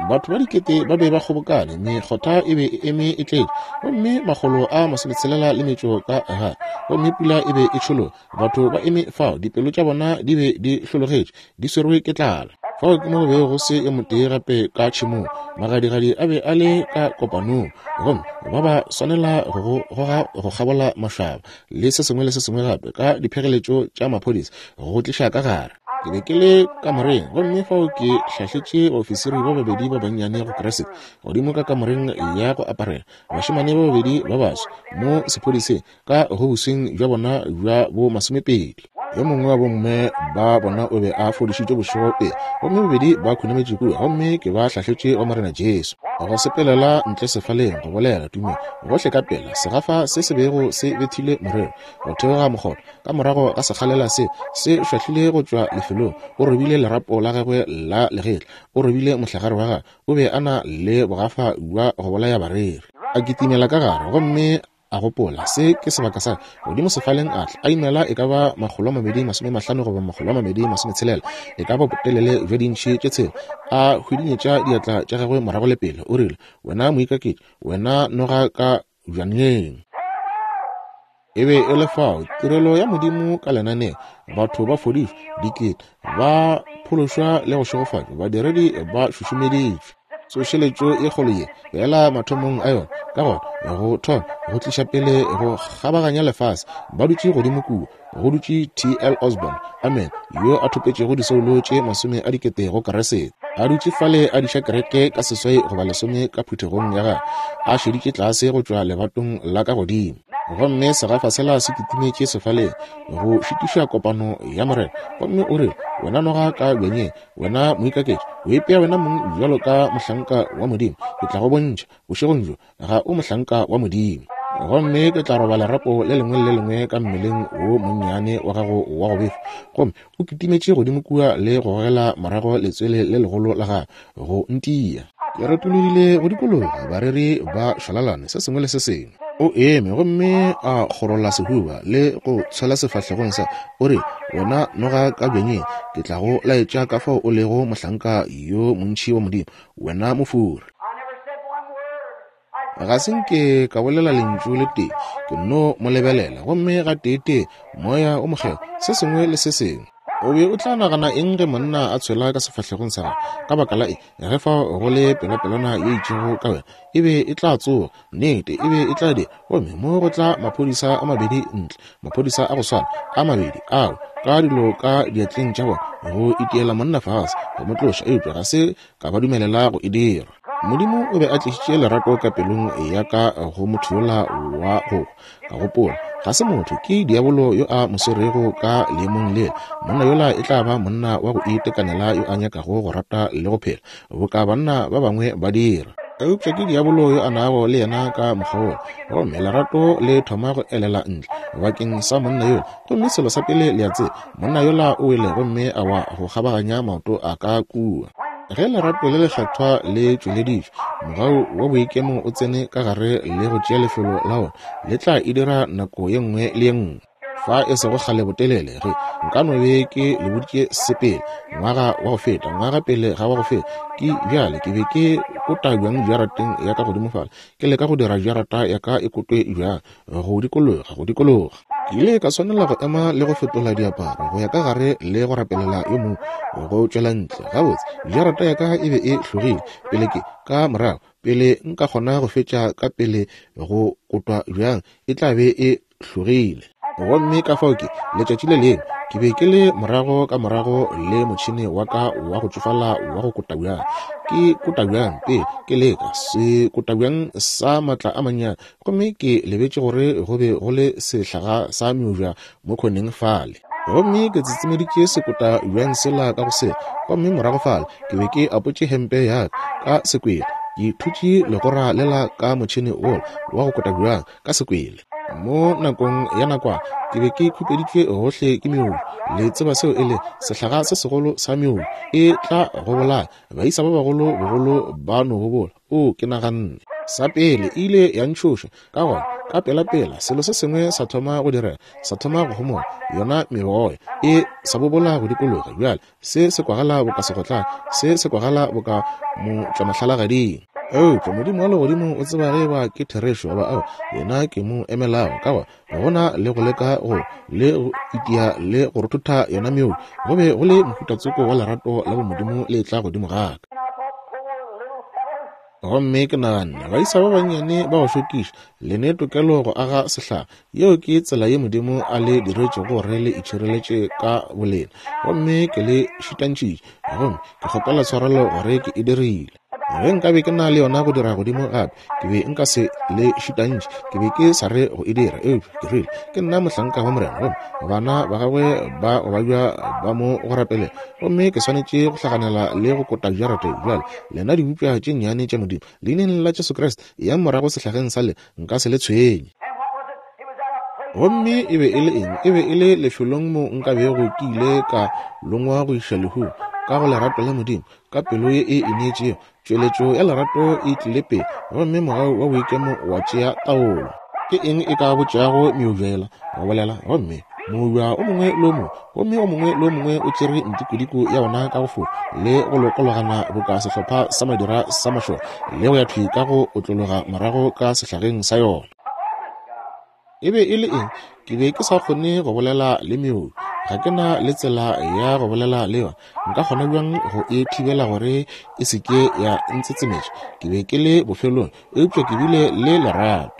Batho ba dikete ba be ba kgobokane, mekgotha e be e eme e tletše, gomme makgolo a masometshela le metšo ka gare, gomme pula e be e tšhologa. Batho ba eme fao, dipelo tša bona di be di hlologetše, di swerwe ke tlala. Fao ke mo go bego go se yo motee gape ka tšhemong. Magadigadi a be a le ka kopanong, gomme ba ba swanela go go goga go kgabola mašaba le se sengwe le se sengwe gape ka diphegeletšo tša maphodisa go tliša ka gare. Ke be ke le kamoreng, gomme fao ke hlahletše baofisiri ba babedi ba bannyane go Kriste godimo ka kamoreng ya go aparela, bašemane ba babedi ba baswa mo sephodiseng ka go bosweng bja bona bja bo masomepedi. Yo mongwe wa bomme ba bona o be a fodišitšwe bošego pele, gomme bobedi ba khunametše kua, gomme ke ba hlahletše go Morena Jesu. Go sepelela ntle sefaleng, go bolela tumelo, gohle ka pela, segafa se se bego se bethile morero, go theoga mokgotha, ka morago ga sekgalela se se šwahlile go tšwa lefelong, o robile lerapo la gagwe la legetla, o robile mohlagare wa gagwe, o be a na le bogafa bja go bolaya bareri. A kitimela ka gare, gomme A gopola, Se ke sebaka sa godimo sefaleng. A tla a imela e ka ba 250 goba 260, e ka ba botelele bja diintšhi tše tshela. A hwidinyetša diatla tša gagwe morago le pele. O rile, Wena moikaketši, wena noga ka bjanyeng. E be e le fao, tirelo ya Modimo ka lenaneo, batho ba fodišwa, dikete ba phološwa le go šegofatšwa, badiredi ba šušumeditšwe. Tsošeletšo e kgolo ye feela mathomong a yona, ka gona go thoma go tliša pele go kgabaganya lefase, ba dutše godimo kua, go dutše T.L. Osborn, amen, yo a thopetšego disoulo tše masome a dikete go Kriste. A dutše fale a diša kereke ka seswai goba lesome ka phuthegong ya gagwe, a šeditše tlase go tšwa lebatong la ka godimo. Gomme segafa sela se kitimetše sefaleng go šitiša kopano ya Morena, gomme o re, Wena noga ka bjanyeng, Wena moikaketši, o ipea wena mong bjalo ka mohlanka wa Modimo. Ke tla go bontšha, bošegong bjo, ga o mohlanka wa Modimo. Gomme ke tla roba lerapo le lengwe le le lengwe ka mmeleng wo monnyane wa gago wa go befa. Gomme o kitimetše godimo kua le go gogela morago letswele le legolo la gagwe, go ntia. Ke retologile go dikologa, bareri ba šwalalane, se sengwe le se sengwe. O eme gomme a kgorola sehuba le go tshwela sefahlegong sa, o re, Wena noga ka bjanyeng, ke tla go laetša ka fao o lego mohlanka yo montši wa Modimo, wena mofori. Ga se nke ka bolela lentšu le tee, ke nno mo lebelela, gomme gateetee Moya o Mokgethwa, se sengwe le se sengwe. O be o tla nagana eng ge monna a tshwela ka sefahlegong sa gago? Ka baka la eng, ge fao go le pelopelwana ye itšego ka wena, e be e tla tsoga. Nnete, e be e tla dira. Gomme mo go tla maphodisa a mabedi ntle, maphodisa a go swana a mabedi ao, ka dilo ka diatleng tša bona, go itiela monna fase, go mo tloša, eupša ga se ka ba dumelela go e dira. Modimo o be a tlišitše lerato ka pelong ya ka go motho yola wa go hwa. Ka gopola, Ga se motho, ke diabolo yo a mo swerego ka leemong lela. Monna yola e tla ba monna wa go itekanela yo a nyakago go rata le go phela, boka banna ba bangwe ba dira. Eupša ke diabolo yo a nago le yena ka mokgwa wola. Gomme lerato le thoma go elela ntle bakeng sa monna yola. Gomme selo sa pele le a tseba, monna yola o wele gomme a wa go kgabaganya maoto a ka kua. Ge lerato le lekgethwa le tšweleditšwe, mogau wa boikemo o tsene ka gare le go tšea lefelo la wona, le tla e dira nako ye nngwe le ye nngwe. Fa e sego kgale botelele, ge nka no be ke le boditše se pele, ngwaga wa go feta, ngwaga pele ga wa go feta, ke bjale ke be ke kota bjang jarateng ya ka godimo fale, ke leka go dira jarata ya ka e kotwe bjang, go dikologa, go dikologa. Ke ile ka swanela go ema le go fetola diaparo go ya ka gare le go rapelela yo mongwe go tšwela ntle. Gabotse, jarata ya ka e be e hlogile pele ke, ka morago, pele nka kgona go fetša ka pele go kotwa bjang, e tla be e hlogile. Gomme ka fao ke, letšatši le lengwe, ke be ke le morago ka morago le motšhene wa ka wa go tšofala wa go kota bjang. Ke kota bjang pele ke leka se kota bjang sa matla a mannyane, gomme ke lebetše gore go be go le sehlaga sa meoja mo khoneng fale. Gomme ke tsetsemeditše sekota bjang sela ka go sela, gomme morago fale ke be ke apotše hempe ya ka ka sekwele, ke thutše legora lela ka motšhene wola wa go kota bjang ka sekwele. Mo nakong ya nakwana ke be ke khupeditšwe gohle ke meoju. Le tseba seo e le sehlaga se segolo sa meoju, e tla go bolaya. Baisa ba bagolo bogolo ba no bobola. O, ke naganne. Sa pele, e ile ya ntšhoša. Ka gona Ka pelapela selo se sengwe sa thoma go direga, sa thoma go homola, yona meboya e sa bobola go dikologa. Bjale se se kwagala boka segotlane, se se kwagala boka motšwamahlalagading. Eupša Modimo wa legodimo o tseba ge eba ke therešo goba aowa, yena ke mo emelago. Ka gona go na le go leka go le go itia le go rothotha yona meoya, go be go le mohuta tsoko wa lerato la bomodimo le etla godimo ga ka. Gomme ke naganne, baisa ba bannyane ba go šokiša, le ne tokelo go aga sehlaga. Yeo ke tsela ye Modimo a le diretšego gore le itšhireletše ka bolena. Gomme ke le šitantšitše, gomme ke kgopela tshwarelo gore ke e dirile. Ge nkabe ke na le yona go dira godimo gape, ke be nka se le šitantšhe, ke be ke sa re go e dira. Eupša ke rile, ke nna mohlanka wa Morena, gomme bana ba gagwe ba go babja ba mo go rapelela. Gomme ke swanetše go hlaganela le go kota jarata bjale. Lena dibopša tše nnyane tša Modimo, Leineng la Jesu Kriste, eyang morago sehlageng sa le, nka se le tshwenye. Gomme e be e le eng? E be e le lefelong mo nka bego ke ile ka longwa go iša lehung, ka go lerato la Modimo, ka pelo ye e ineetšego. Tšweletšo ya lerato e tlile pele, gomme mogau wa boikemo wa tšea taolo. Ke eng e ka botšago meubjela go bolela? Gomme moubja o mongwe le o mongwe, gomme o mongwe le o mongwe o tšere ntikodiko ya ona ka go fofa le go lokologana boka sehlopha sa madira sa mašole, le go ya thwi ka go otlologa morago ka sehlageng sa yona. E be e le eng? Ke be ke sa kgone go bolela le meoyo. Ga ke na le tsela ya go bolela le yona. Nka kgona bjang go e thibela gore e se ke ya ntsetsemetša? Ke be ke le bofelong, eupša ke bile le lerato.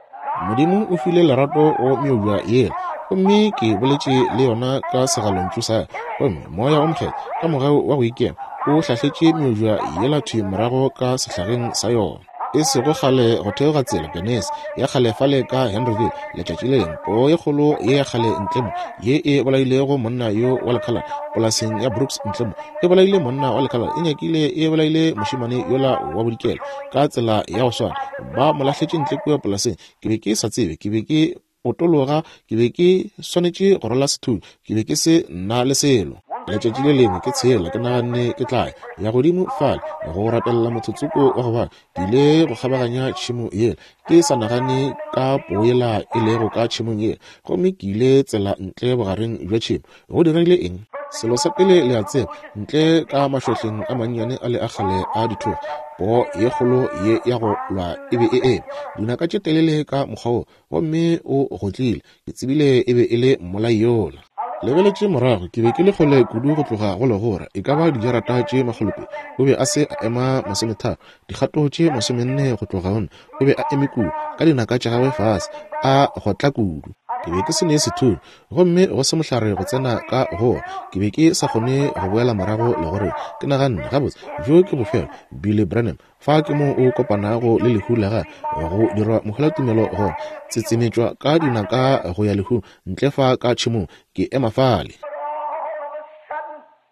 Modimo o file lerato go meoya yela, gomme ke boletše le yona ka segalontšu sa ka. Gomme Moya o Mokgethwa, ka mogau wa go ikema, o hlahletše meoya yela thwi morago ka sehlageng sa yona. E sego kgale go theoga tsela Genesi ya kgale fale ka Henryville, letšatši le lengwe, poo ye kgolo ye ya kgale ntle mo, ye e bolailego monna yo wa lekhalane polaseng ya Brooks ntle mo, e bolaile monna wa lekhalane, e nyakile e bolaile mošemane yola wa bodikela ka tsela ya go swana. Ba mo lahletše ntle kua polaseng. Ke be ke sa tsebe, ke be ke potologa, ke be ke swanetše go rwala sethunya, ke be ke se na le selo. Letšatši le lengwe ke tshela, ke naganne ke tla ya godimo fale go rapelela motho tsoko wa go bala. Ke ile go kgabaganya tšhemo yela, ke sa nagane ka poo yela e lego ka tšhemong yela, gomme ke ile tsela ntle bogareng bja tšhemo. Go diregile eng? Selo sa pele le a tseba, ntle ka mašohleng a mannyane a le a kgale a dithoga, poo ye kgolo ye ya go lwa e be e eme, dinaka tše telele ka mokgwa wo, gomme o gotlile. Ke tsebile e be e le mmolai yola. Lebeletše morago, ke be ke le kgole kudu go tloga go legora, e ka ba dijarata tše makgolopedi. O be a se a ema masometharo, dikgato tše masomenne go tloga go nna. O be a eme kua, ka dinaka tša gagwe fase, a gotla kudu. Ke be ke se ne sethunya, gomme go se mohlare go tsena ka go. Ke be ke sa kgone go boela morago legoreng. Ke naganne, Gabotse, bjo ke bofelo, Billy Branham. Fa ke mo o kopanago le lehu la gagwe, go dirwa mohwelatumelo, go tsetsemetšwa ka dinaka go ya lehung, ntle fa ka tšhemong, ke ema fale.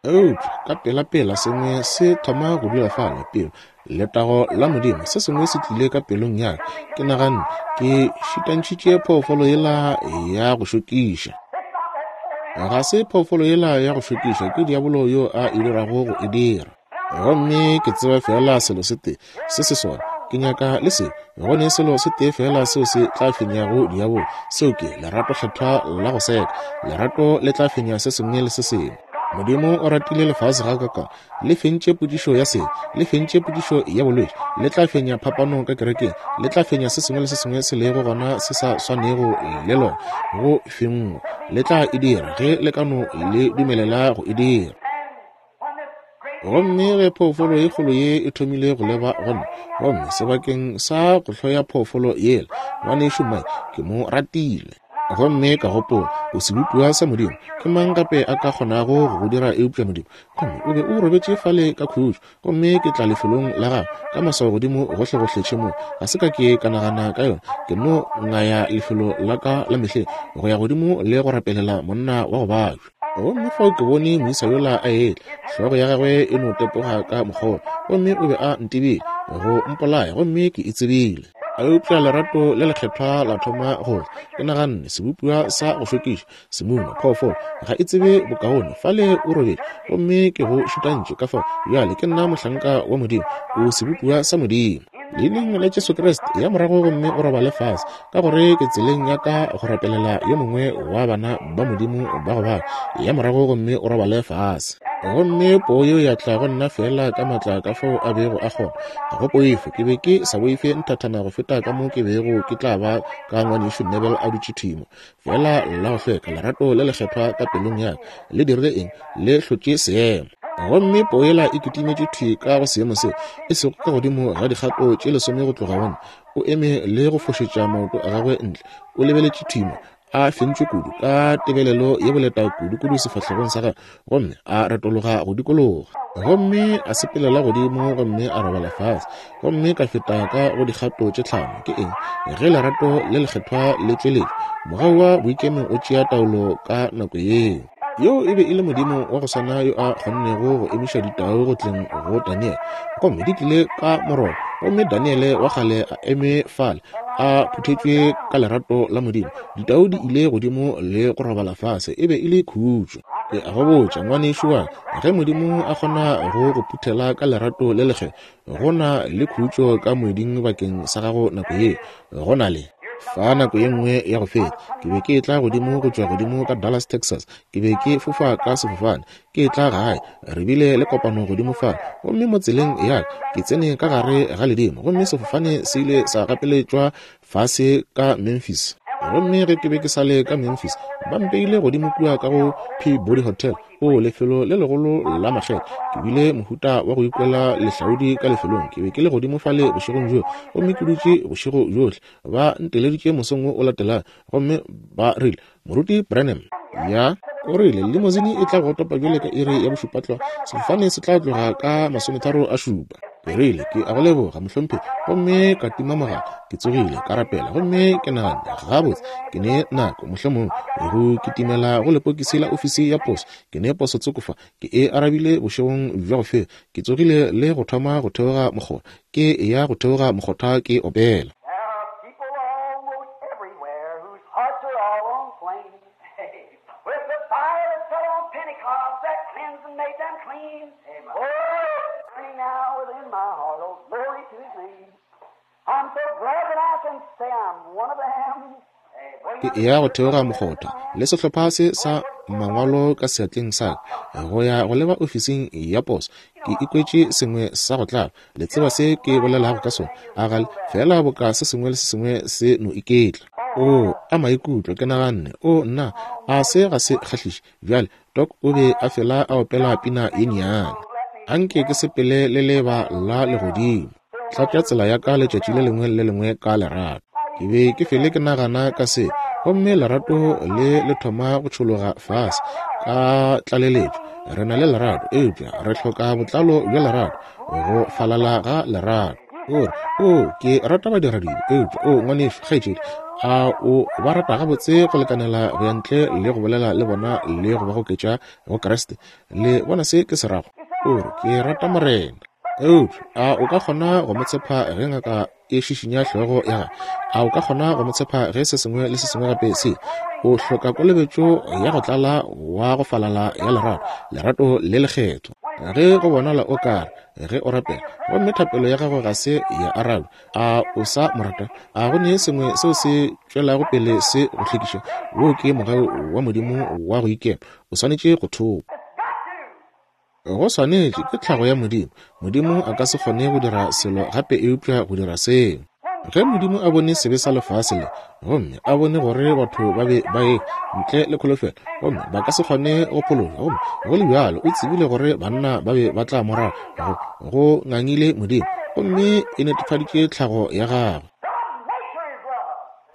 Eupša ka pelapela sengwe se thoma go dula fale, pelo, letago la Modimo, se sengwe se tlile ka pelong ya ka. Ke naganne, Ke šitantšhitše phoofolo yela ya go šokiša. Ga se phoofolo yela ya go šokiša, ke diabolo yo a e dirago go e dira. Gomme ke tseba feela selo se tee se se sona, ke nyaka le se. Go ne selo se tee feela seo se tla fenyago diabolo, seo ke lerato kgethwa la go seka. Lerato le tla fenya se sengwe le se sengwe. Modimo o ratile lefase gakakang, le fentše potšišo ya sebe, le fentše potšišo ya bolwetši, le tla fenya phapano ka kerekeng, le tla fenya se sengwe le se sengwe se lego gona se sa swanego le lona go fenngwa. Le tla e dira ge le ka no le dumelela go e dira. Gomme ge phoofolo ye kgolo ye e thomile go leba go nna, gomme sebakeng sa go hloya phoofolo yela, ngwanešu Mike, ke mo ratile. Gomme ka gopola, O sebopiwa sa Modimo, ke mang gape a ka kgonago go go dira eupša Modimo? Gomme o be o robetše fale ka khutšo, gomme ke tla lefelong la gago ka maswao godimo gohlegohle tšhemong. Ga se ka ke ka nagana ka yona, ke no ngaya lefelo la ka la mehleng go ya godimo le go rapelela monna wa go babja. Gomme fao ke bone moisa yola a etla, hlogo ya gagwe e no tepoga ka mokgwa, gomme o be a ntebile go mpolaya, gomme ke e tsebile. Eupša lerato le lekgethwa la thoma go tla. Ke naganne, Sebopiwa sa go šokiša, semuma, phoofolo, ga e tsebe bokaone. Fale o robetše, gomme ke go šutantše, ka fao bjale ke nna mohlanka wa Modimo. O sebopiwa sa Modimo. Leineng la Jesu Kriste, ya morago gomme o robale fase, ka gore ke tseleng ya ka go rapelela yo mongwe wa bana ba Modimo ba go bala. Ya morago gomme o robale fase. Gomme poo yeo ya tla go nna feela ka matla ka fao a bego a kgona. Ga go poifo, ke be ke sa boife nthathana go feta ka mo ke bego ke tla ba ka Ngwanešu Neville a dutše thwi mo. Feela la go hlweka, lerato le lekgethwa ka pelong ya ka, le dirile eng? Le hlotše seemo. Gomme poo yela e kitimetše thwi ka go seemo seo, e sego ka godimo ga dikgato tše lesome go tloga gona. O eme le go fošetša maoto a gagwe ntle, o lebeletše thwi mo, a fentšwe kudu, ka tebelelo ye boleta kudu-kudu sefahlegong sa gagwe, gomme a retologa go dikologa. Gomme a sepelela godimo gomme a robala fase, gomme ka feta ka go dikgato tše tlhano. Ke eng? Ge lerato le lekgethwa le tšweletšwa, mogau wa boikemo o tšea taolo ka nako yeo. Yo e be e le Modimo wa go swana yo a kgonnego go emiša ditau go tleng go Daniele, gomme di tlile ka morogo, gomme Daniele wa kgale a eme fale a phuthetšwe ka lerato la Modimo. Ditau di ile godimo le go robala fase, e be e le khutšo. Ke a go botša, ngwanešu wa ka, ge Modimo a kgona go go phuthela ka lerato le lekgethwa, go na le khutšo ka moeding bakeng sa gago nako yeo. Go na le. Fa nako ye nngwe ya go feta, ke be ke etla godimo go tšwa godimo ka Dallas, Texas. Ke be ke fofa ka sefofane, ke etla gae. Re bile le kopano godimo fale. Gomme mo tseleng ya ka, ke tsene ka gare ga ledimo, gomme sefofane se ile sa gapeletšwa fase ka Memphis. Gomme ge ke be ke sa le ka Memphis, ba mpeile godimo kua ka go Peabody Hotel, o lefelo le legolo la makgetho. Ke bile mohuta wa go ikwela lehlaodi ka lefelong. Ke be ke le godimo fale bošegong bjoo, gomme ke dutše bošego bjohle. Ba nteleditše mosong wo o latelago, gomme ba rile, Moruti Branham, ya, o rile, limosine e tla go topa bjale ka iri ya bošupa tlwa, sefofane se tla tloga ka masometharo a šupa. Ke rile, ke a go leboga, mohlomphegi, gomme ka tima mogala. Ke tsogile, ka rapela, gomme ke naganne, gabotse, ke ne nako, mohlomongwe, go kitimela go lepokisi la ofisi ya poso. Ke ne poso tsoko fa, ke e arabile bošegong bja go feta. Ke tsogile le go thoma go theoga mokgotha, ke eya go theoga mokgotha ke opela. Ke eya go theoga mokgotha le sehlopha se sa mangwalo ka seatleng sa ka go ya go leba ofising ya poso. Ke ikwetše sengwe sa go tlaba. Le tseba se ke bolelago ka sona, a ga le? Feela boka se sengwe le se sengwe se no iketla. Oo, a maikutlo, ke naganne, Oo, nna, a se ga se kgahliše? Bjale, Doc o be a fela a opela pina ye nnyane. Anke ke sepele le leeba la legodimo. Tlatša tsela ya ka letšatši le lengwe le le lengwe ka lerato. Ke be ke fele ke nagana ka se, gomme lerato le le thoma go tšhologa fase ka tlaleletšo. Re na le lerato, eupša re hloka botlalo bja lerato, go falala ga lerato. O re, Oo, ke rata badiradibe, eupša, oo, ngwanešu, kgaetšedi, a o ba rata gabotse go lekanela go ya ntle le go bolela le bona le go ba goketša go Kriste? Le bona se ke se rago? O re, Ke rata Morena. Eupša a o ka kgona go mo tshepa ge ngaka e šišinya hlogo ya gagwe? A o ka kgona go mo tshepa ge se sengwe le se sengwe gape se? O hloka kolobetšo ya go tlala wa go falala ya lerato, lerato le lekgethwa. Ge go bonala o ka re ge o rapela gomme thapelo ya gago ga se ya arabja, a o sa mo rata? A go ne sengwe seo se tšwelago pele se go hlekiša? Woo ke mogau wa Modimo wa go ikema. O swanetše go thopa. Go swanetše, ke tlhago ya Modimo. Modimo a ka se kgone go dira selo gape eupša go dira seo. Ge Modimo a bone sebe sa lefase le, gomme a bone gore batho ba be ba e ntle le kholofelo, gomme ba ka se kgone go phološwa, gomme go le bjalo o tsebile gore banna ba be ba tla mo rata, go, go ngangile Modimo, gomme e netefaditše tlhago ya gagwe.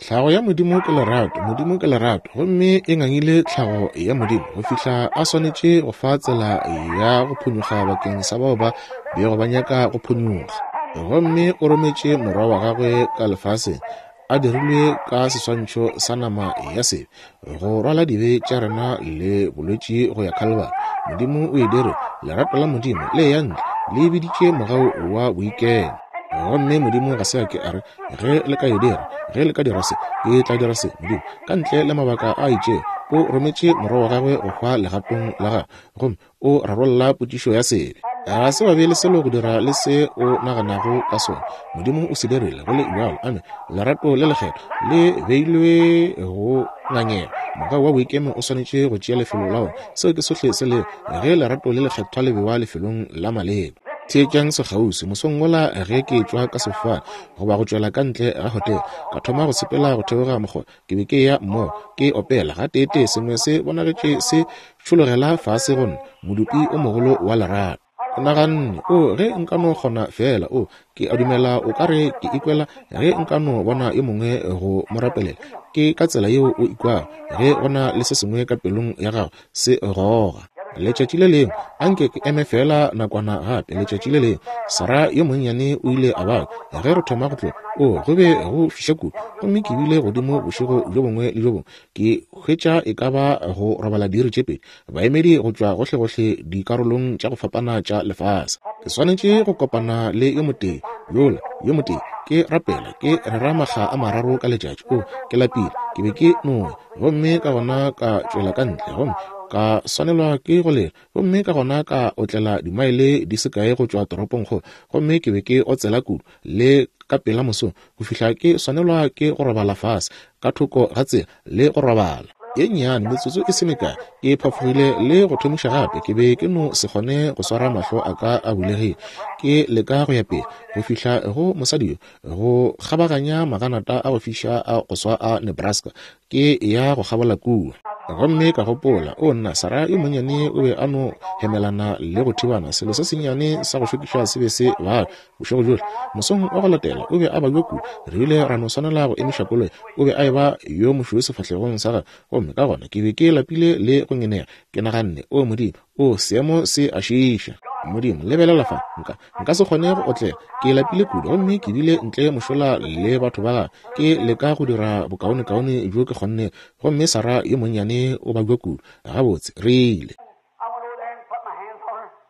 Tlhago ya Modimo ke lerato, Modimo ke lerato, gomme e ngangile tlhago ya Modimo go fihla a swanetše go fa tsela ya go phonyokga bakeng sa bao ba bego ba nyaka go phonyokga. Gomme o rometše Morwa wa gagwe ka lefaseng, a dirilwe ka seswantšho sa nama ya sebe, go rwala dibe tša rena le bolwetši go ya Khalibari. Modimo o e dire, lerato la Modimo le ya ntle, le biditše mogau wa boikemo. Gomme Modimo ga se a ke a re, Ge le ka e dira, ge le ka dira se, ke tla dira se. Modimo, ka ntle le mabaka a itšego, o rometše Morwa wa Gagwe go hwa legatong la gagwe, gomme o rarolla potšišo ya sebe. Ga se ba be le selo go dira le se o naganago ka sona. Modimo o se dirile go le bjalo. Amen. Lerato le lekgethwa le beilwe go ngangega. Mogau wa boikemo o swanetše go tšea lefelo la wona. Seo ke sohle se lego, ge lerato le lekgethwa le bewa lefelong la maleba. Theetšang sekgauswi, mosong wola ge ke etšwa ka sefofane, goba go tšwela ka ntle ga hotele, ka thoma go sepela go theoga mokgotha. Ke be ke eya mmogo, ke opela. Gateetee sengwe se bonagetše se tšhologela fase go nna, modupi o mogolo wa lerato. Ke naganne, O, ge nka no kgona feela, o, ke a dumela o ka re ke ikwela ge nka no bona yo mongwe go mo rapelela. Ke ka tsela yeo o ikwago ge go na le se sengwe ka pelong ya gago se goga. Letšatši le lengwe, anke ke eme feela nakwana gape, letšatši le lengwe, Sarah yo monnyane o ile a babja ge re thoma go tloga. O, go be go fiša kudu, gomme ke bile godimo bošego bjo bongwe le bjo bongwe, ke hwetša e ka ba go robala diiri tše pedi, baemedi go tšwa gohlegohle dikarolong tša go fapana tša lefase. Ke swanetše go kopana le yo motee yola, yo motee, ke rapela, ke rera makga a mararo ka letšatši. O, ke lapile, ke be ke no ya, gomme ka gona ka tšwela ka ntle, gomme ka swanelwa ke go lela, gomme ka gona ka otlela dimaele di se kae go tšwa toropongkgolo, gomme ke be ke otsela kudu, le ka pela mosong, go fihla ke swanelwa ke go robala fase ka thoko ga tsela le go robala. Ye nnyane, metsotso e se mekae, ke phafogile le go thomiša gape. Ke be ke no se kgone go swara mahlo a ka a bulegile, ke leka go ya pele go fihla go mosadi yo, go kgabaganya maganata a go fiša a go swa a Nebraska, ke ya go kgabola kua. Gomme ka gopola, O nna, Sarah yo monnyane o be a no hemelana le go thibana, selo se sennyane sa go šokiša se be se bala bošego bjohle. Mosong wa go latela o be a babja kudu, re ile ra no swanela go emiša koloi. O be a eba yo mošweu sefahlegong sa gagwe, gomme ka gona ke be ke lapile le go ngenega. Ke naganne, O Modimo, o, seemo se a šiiša. Modimo, lebelela fa, nka, nka se kgone go otlela. Ke lapile kudu, gomme ke bile ntle mošola le batho ba gagwe, ke leka go dira bokaonekaone bjo ke kgonnego. Gomme Sarah yo monnyane o babja kudu. Gabotse, re ile.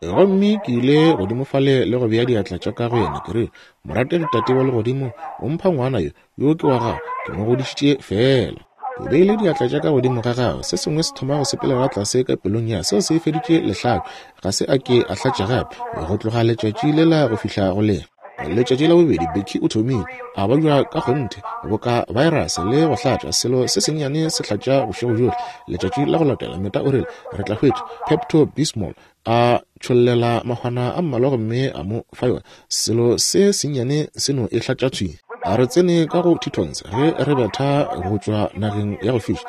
Gomme ke ile godimo fale le go bea diatla tša ka go yena, ke rile, Morategi Tate wa Legodimo, o mpha ngwana yo, yo ke wa gago, ke mo godišitše feela. Ke beile diatla tša ka godimo ga gagwe, se sengwe se thoma go sepelela tlase ka pelong ya seo se feditše lehlako, ga se a ke a hlatša gape, go tloga letšatši lela go fihla go le. Letšatši la bobedi, Becky o thomile, a babja ka kgonthe, boka virus le go hlatša, selo se sennyane se hlatša bošego bjohle. Letšatši la go latela, Meta o rile, re tla hwetša Pepto-Bismol, a tšhollela mahwana a mmalwa gomme a mo fa yona. Selo se sennyane se no e hlatša thwi. A re tsene ka go Tetons ge re betha go tšwa nageng ya go fiša,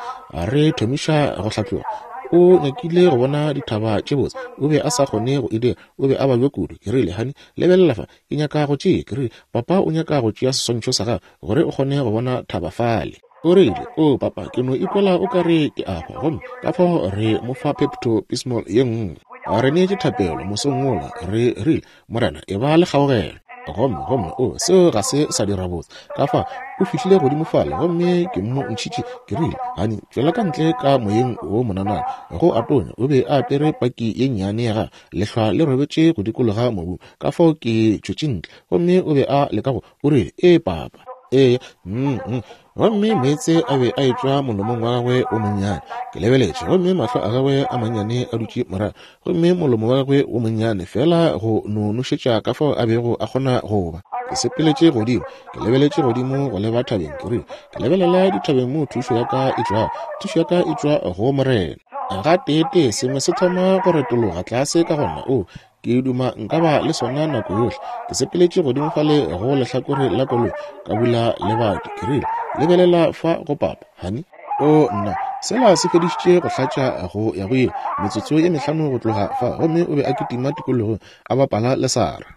re thomiša go hlatloga. O nyakile go bona dithaba tše botse, o be a sa kgone go e dira, o be a babja kudu. Ke rile, Honey, lebelela fa, ke nyaka go tšea. Ke rile, Papa o nyaka go tšea seswantšho sa gago gore o kgone go bona thaba fale. O rile, O, papa, ke no ikwela o ka re ke a hwa. Gomme ka fao re mo fa Pepto-Bismol ye nngwe. Re neetše thapelo mosong wola, re rile, Morena, e ba le kgaogelo. Gomme, gomme, o, seo ga se sa dira botse. Ka fa, o fihlile godimo fale, gomme ke mo ntšhitše, ke rile, Hani, tšwela ka ntle ka moyeng wo monanana. Go a tonya, o be a apere paki ye nnyane ya gagwe, lehlwa le robetše go dikologa mobu. Ka fao ke tšwetše ntle, gomme o be a leka go, o rile, Ee, papa. Ee, mm, mm. Gomme meetse a be a etšwa molomong wa gagwe o monnyane. Ke lebeletše, gomme mahlo a gagwe a mannyane a dutše morago, gomme molomo wa gagwe wo monnyane, feela go no nošetša ka fao a bego a kgona go ba. Ke sepeletše godimo, ke lebeletše godimo go leba thabeng, ke rile, Ke lebelela dithabeng moo thušo ya ka e tšwago. Thušo ya ka e tšwa go Morena. Gateetee sengwe se thoma go retologa tlase ka gona. O, Ke duma nka ba le sona nako yohle. Ke sepeletše godimo fale go lehlakore la koloi, ka bula lebati. Ke rile, Lebelela fa go papa, honey. O, nna, sela se fedišitše go hlatša go ya go ile, metsotso ye mehlano go tloga fa, gomme o be a kitima tikologong, a bapala le Sarah.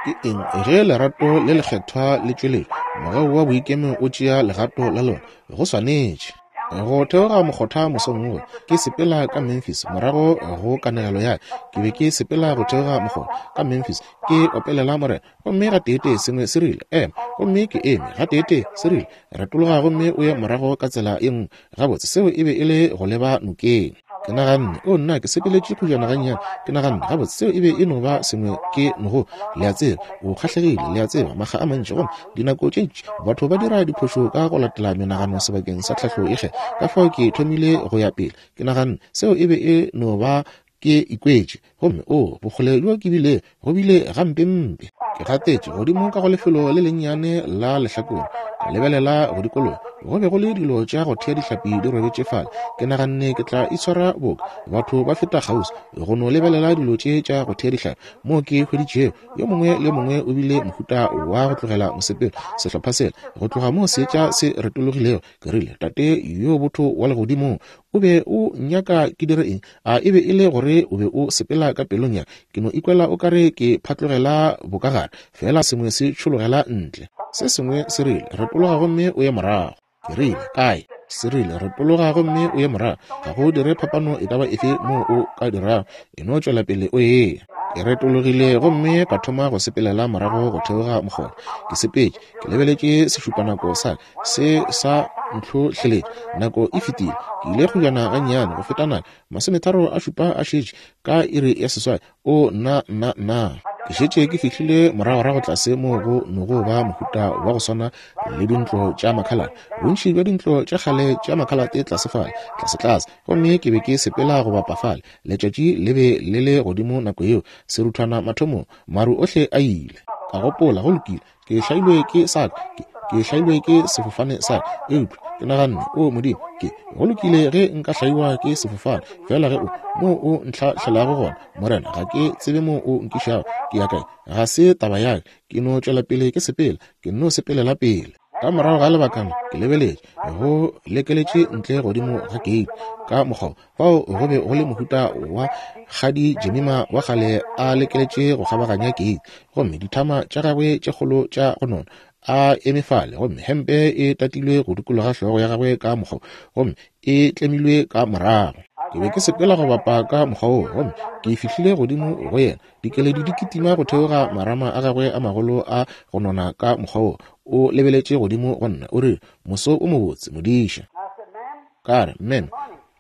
Ke eng ge lerato le lekgethwa le tšweletšwa? Mogau wa boikemo o tšea legato la lona. Go swanetše. Go theoga mokgotha mosong wo, ke sepela ka Memphis, morago go kanegelo ya ke be ke sepela go theoga mokgotha ka Memphis, ke opelela Morena, gomme gateetee sengwe se rile, Ema. Gomme ke eme. Gateetee se rile, Retologa gomme o ye morago ka tsela ye nngwe. Gabotse, seo e be e le go leba nokeng. Ke naganne, O nna, ke sepeletše kgojana gannyane. Ke naganne, Gabotse, seo e be e no ba sengwe ke nogo. Le a tseba, o kgahlegile, le a tseba, makga a mantši. Gomme dinako tše ntši batho ba dira diphošo ka go latela menagano sebakeng sa tlhahlo e kgethwa. Ka fao ke thomile go ya pele. Ke naganne, Seo e be e no ba Ke ikwetše, gomme oo, bokgole bjo ke bile, go bile gampempe. Ke gatetše godimo ka go lefelo le lennyane la lehlakore, ka lebelela go dikologa. Go be go le dilo tša go thea dihlapi di robetše fale. Ke naganne ke tla itshwara boka batho ba feta kgauswi, go no lebelela dilo tše tša go thea dihlapi. Moo ke hweditšego, yo mongwe le yo mongwe o bile mohuta wa go tlogela mosepelo, sehlopha sela, go tloga moo seetša se retologilego. Ke rile, Tate yo botho wa Legodimong, o be o nnyaka ke dire eng? A e be e le gore o be o sepela ka pelong ya ka? Ke no ikwela o ka re ke phatlogela bokagare, feela sengwe se tšhologela ntle. Se sengwe se rile, Retologa gomme o ye morago. Ke rile, Kae? Se rile, Retologa gomme o ye morago. Ga go dire phapano e ka ba efe moo o ka dirago, e no tšwela pele o eya. Ke retologile gomme ka thoma go sepelela morago go theoga mokgoro. Ke sepetše, ke lebeletše sešupanako sa ka, se sa ntlhohleletša. Nako e fetile. Ke ile kgojana gannyane go feta nako. Masometharo a šupa a šetše ka iri ya seswai. O, nna, nna, nna. Ke šetše ke fihlile moragorago tlase moo go nogo ba mohuta wa go swana le dintlo tša makhalate, bontši bja dintlo tša kgale tša makhalate tlase fale, tlasetlase. Gomme ke be ke sepela go bapa fale. Letšatši le be le le godimo nako yeo, seruthwana mathomong, maru ohle a ile. Ka gopola, Go lokile, Ke hlailwe ke sa ka, ke, ke hlailwe ke sefofane sa ka. Eupša ke naganne, O Modimo, ke, go lokile ge nka hlaiwa ke sefofane, fela ge o, moo o ntlhahlelago gona, Morena, ga ke tsebe moo o nkišago, ke ya kae, ga se taba ya ka. Ke no tšwela pele ke sepela, ke nno sepelela pele. Ka morago ga lebakana, ke lebeletše, go lekeletše ntle godimo ga keiti, ka mokgwa Fao go be go le mohuta wa kgadi Jemima wa kgale a lekeletše go kgabaganya keiti, gomme dithama tša gagwe tše kgolo tša go nona a eme fale, gomme hempe e tatilwe go dikologa hlogo ya gagwe ka mokgwa, gomme e tlemilwe ka morago. Ke be ke sepela go bapa ka mokgwa woo, gomme ke fihlile godimo go yena, dikeledi di kitima go theoga marama a gagwe a magolo a go nona ka mokgwa woo. O lebeletše godimo go nna, o rile, Moso o mobotse, modiša. Ka re, Meme,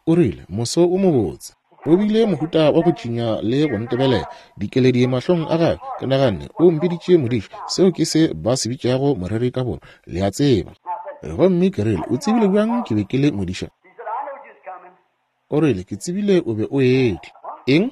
o rile, moso o mobotse. O bile mohuta wa go tšinya le go ntebelela, dikeledi mahlong a gagwe. Ke naganne, O mpiditše modiši. Seo ke se ba se bitšago moreri ka Borwa, le a tseba. Gomme ke rile, O tsebile bjang ke be ke le modiša? O rile, Ke tsebile o be o etla. Eng?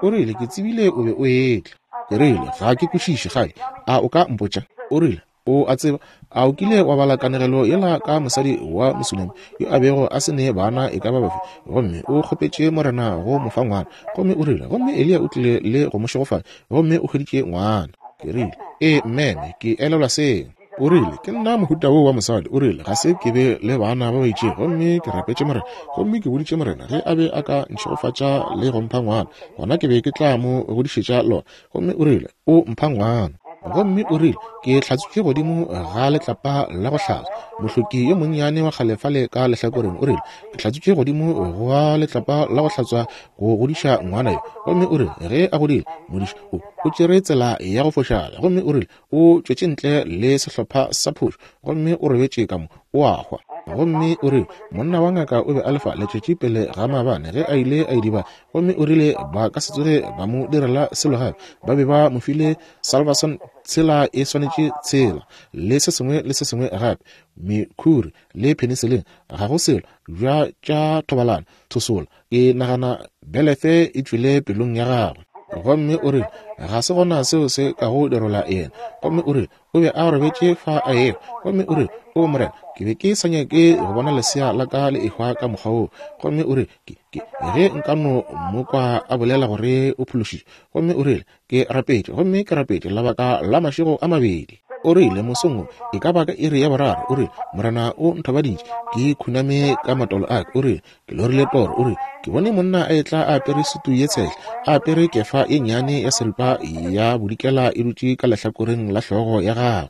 O rile, Ke tsebile o be o etla. Ke rile, Ga ke kwešiše, gae. A o ka mpotša? O rile, O a tseba, a o kile wa bala kanegelo yela ka mosadi wa Mosunami yo a bego a se ne bana e ka ba bafe, gomme o kgopetše Morena go mo fa ngwana, gomme o rile, gomme Eliya o tlile le go mo šegofatša, gomme o hweditše ngwana. Ke rile, Ee, meme, ke elelwa seo. O rile, Ke nna mohuta woo wa mosadi. O rile, Ga se ke be le bana ba ba itšego, gomme ke rapetše Morena, gomme ke boditše Morena ge a be a ka ntšhegofatša le go mpha ngwana, gona ke be ke tla mo godišetša lona. Gomme o rile, O mpha ngwana. Gomme o rile, Ke hlatswitše godimo ga letlapa la go hlatswa. Mohloki yo monnyane wa kgale fale ka lehlakoreng, o rile, Ke hlatswitše godimo ga letlapa la go hlatswa go godiša ngwana yo. Gomme o rile, Ge a godile, modiši o, o tšere tsela ya go fošagala. Gomme o rile, O tšwetše ntle le sehlopha sa phošo, gomme o robetše ka mo, o a hwa. Gomme o rile, Monna wa ngaka o be a lefa letšatši pele ga maabane ge a ile a idibala, gomme o rile ba ka se tsoge ba mo direla selo gape. Ba be ba mo file Salvarsan tshela e swanetše tshela, le se sengwe le se sengwe gape, mekhuri le penicillin, ga go selo bja tša thobalano, thosola. Ke nagana belefe e tšwele pelong ya gagwe. Gomme o rile, Ga se gona seo se kago dirola yena. Gomme o rile, O be a robetše fa a ehwa. Gomme o rile, O Morena, ke be ke sa nyake go bona lesea la ka le ehwa ka mokgwa woo. Gomme o rile, Ke, ke, ge nka no mo kwa a bolela gore o phološitšwe. Gomme o rile, Ke rapetše, gomme ke rapetše labaka la mašego a mabedi. O rile, Mosong wo, e ka ba ka iri ya boraro, o rile, Morena o nthobaditše, ke khuname ka matolo a ka. O rile, Ke lorile toro, o rile, ke bone monna a etla a apere sutu ye tshehla, a apere kefa ye nnyane ya seripa ya bodikela e dutše ka lehlakoreng la hlogo ya gagwe.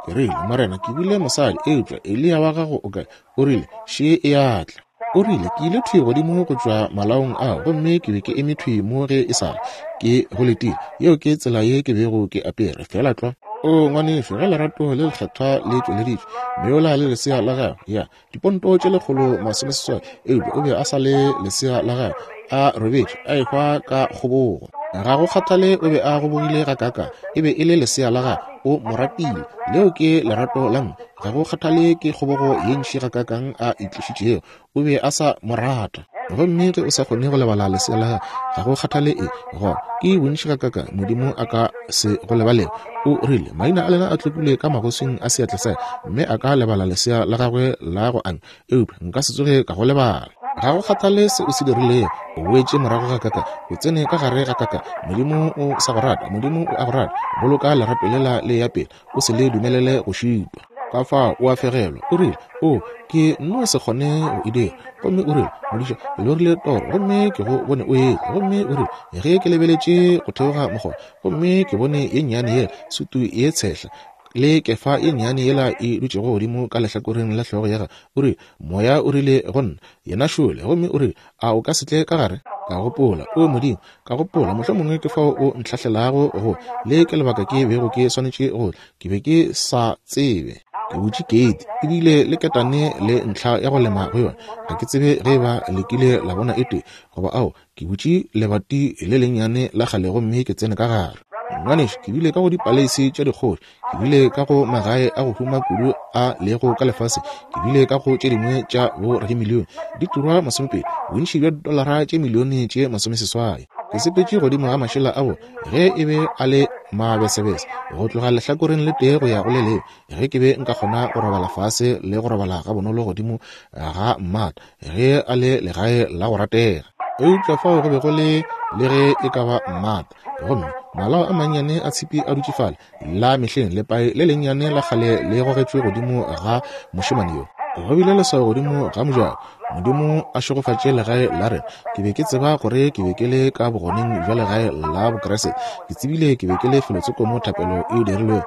Ke rile, Morena, ke bile mosadi, eupša Eliya wa gago o kae? O rile, Še e a tla. O rile, Ke ile thwi godimo go tšwa malaong ao, gomme ke be ke eme thwi mo ge e sa le ke go letile. Yeo ke tsela ye ke bego ke apere, feela tlwa. O, ngwanešu, ge lerato le lekgethwa le tšweleditšwe, meola le lesea la gagwe, ya, diponto tše 160, eupša o be a sa le lesea la gagwe, a robetše, a ehwa ka kgobogo. Ga go kgathale o be a gobogile gakaakang, e be e le lesea la gagwe, o mo ratile. Leo ke lerato la mme. Ga go kgathale ke kgobogo ye ntši gakaakang a itlišitšego, o be a sa mo rata. Gomme ge o sa kgone go lebala lesea la gago, ga go kgathale eng, gona ke bontši gakaakang Modimo a ka se go lebalego. O rile, Maina a lena a tlokilwe ka magoswing a seatla sa ka. Mme a ka lebala lesea la gagwe la go anywa, eupša nka se tsoge ka go lebala. Ga go kgathale se o se dirilego, o boetše morago gakaakang, o tsene ka gare gakaakang, Modimo o sa go rata, Modimo o a go rata. Boloka lerato lela le eya pele, o se le dumelele go šitwa. Ka fao o a fegelwa. O rile, O, ke nno se kgone go e dira. Gomme o rile, Modiša, ke lorile toro, gomme ke go bone o etla. Gomme o rile, Ge ke lebeletše go theoga mogoba, gomme ke bone ye nnyane yela, sutu ye tshehla, le kefa ye nnyane yela e dutšego godimo ka lehlakoreng la hlogo ya gagwe. O rile, Moya o rile go nna, Yena šole. Gomme o rile, A o ka se tle ka gare? Ka gopola, O Modimo, ka gopola, mohlomongwe ke fao o ntlhahlelago go. Le ke lebaka ke bego ke swanetše go tla. Ke be ke sa tsebe. Ke butše keiti, ebile le ketane le ntlha ya go lema go yona. Ga ke tsebe ge eba le kile la bona e tee, goba ao. Ke butše lebati le lennyane la kgale gomme ke tsene ka gare. Ngwanešu, ke bile ka go dipaleisi tša dikgoši, ke bile ka go magae a go huma kudu a lego ka lefaseng, ke bile ka go tše dingwe tša bo radimilione di turwa masomepedi, bontši bja dolara tše milione tše masomeseswai. Ke sepetše godimo ga mašela a bona ge e be a le mabesebese, go tloga lehlakoreng le tee go ya go le lengwe, ge ke be nka kgona go robala fase le go robala gabonolo godimo ga mmata ge a le legae la go ratega. Eupša fao go be go le le ge e ka ba mmata, gomme malao a mannyane a tshipi a dutše fale, la mehleng, lepae le lennyane la kgale le gogetšwe godimo ga mošemane yo. Go bile leswao godimo ga mojako, Modimo a šegofatše legae la rena. Ke be ke tseba gore ke be ke le ka bogoneng bja legae la Bokriste. Ke tsebile ke be ke le felotsoko mo thapelo e dirilwe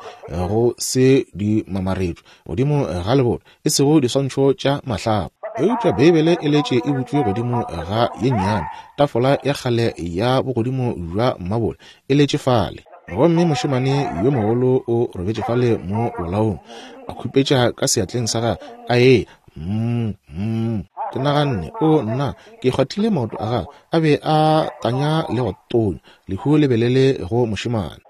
go se di mamaretšwe godimo ga leboto, e sego diswantšho tša mahlapa. Eupša Beibele e letše e butšwe godimo ga ye nnyane, tafola ya kgale ya bogodimo bja mmabole e letše fale. Gomme mošemane yo mogolo o robetše fale mo bolaong, a khupetša ka seatleng sa gagwe, a eya, mm, mm. Ke naganne, o nna, ke kgwathile maoto a gagwe, a be a tanya le go tonya, lehu le be le le go mošemane.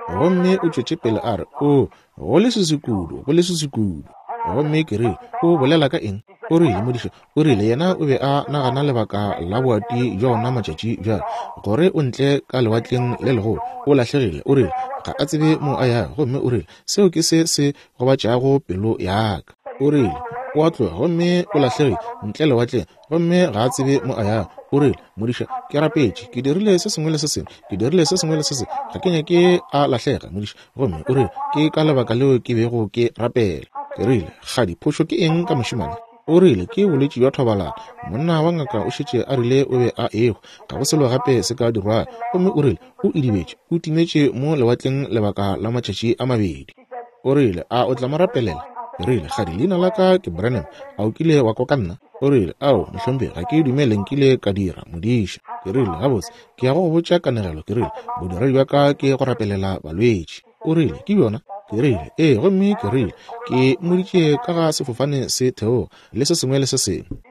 Gomme o tšwetše pele a re, o, go leswiswi kudu, go leswiswi kudu. Gomme ke rile, o bolela ka eng? O rile, modiša, o rile, yena o be a nagana lebaka la boati bja ona matšatši bjale, gore o ntle ka lewatleng le legolo, o lahlegile. O rile, ga a tsebe mo a yago. Gomme o rile, seo ke se se gobatšago pelo ya ka. O rile, o a tloga gomme o lahlegile ntle lewatleng, gomme ga a tsebe mo a yago. O rile, Modiša, ke rapetše, ke dirile se sengwe le se sengwe, ke dirile se sengwe le se sengwe, ga ke nyake a lahlega, modiša. Gomme o rile, ke ka lebaka leo ke bego ke rapela. Ke rile, Kgadi, phošo ke eng ka mošemane? O rile, ke bolwetši bja thobalano. Monna wa ngaka o šetše a rile o be a ehwa, ga go selo gape se ka dirwago. Gomme o rile, o idibetše, o timetše mo lewatleng lebaka la matšatši a mabedi. O rile, A o tla mo rapelela? Ke rile, Kgadi, leina la ka ke Branham. A o kile wa kwa ka nna? O rile, Ao, mohlomphegi, ga ke dumele nkile ka dira, modiša. Ke rile, Gabotse, ke ya go go botša kanegelo. Ke rile, Bodiredi bja ka ke go rapelela balwetši. O rile, Ke bjona? Ke rile, Ee. Gomme ke rile, Ke mmoditše ka ga sefofane se theoga, le se sengwe le se sengwe.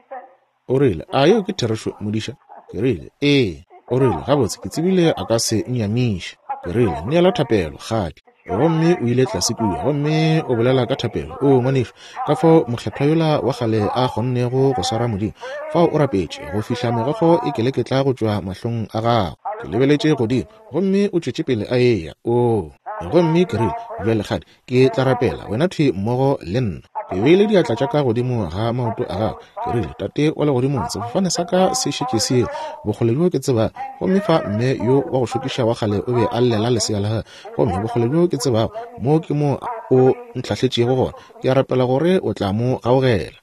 O rile, A yeo ke therešo, modiša? Ke rile, Ee. O rile, Gabotse, ke tsebile a ka se nnyamiše. Ke rile, Neela thapelo, kgadi. Gomme o ile tlase kua, gomme o bolela ka thapelo. O, ngwanešu, ka fao mokgethwa yola wa kgale a kgonnego go swara Modimo. Fao o rapetše, go fihla megokgo e keleketla go tšwa mahlong a gagwe. Ke lebeletše godimo, gomme o tšwetše pele a eya. Oo. Gomme ke rile, Bjale, kgadi, Ke tla rapela, wena thwi mmogo le nna. Ke beile diatla tša ka godimo ga maoto a gagwe. Ke rile, Tate wa Legodimong, sefofane sa ka se šetše se ile, bokgole bjo ke tsebago. Gomme fa mme yo wa go šokiša wa kgale o be a llela lesea la gagwe. Gomme bokgole bjo ke tsebago, mo ke mo O ntlhahletšego gona. Ke a rapela gore O tla mo gaogela.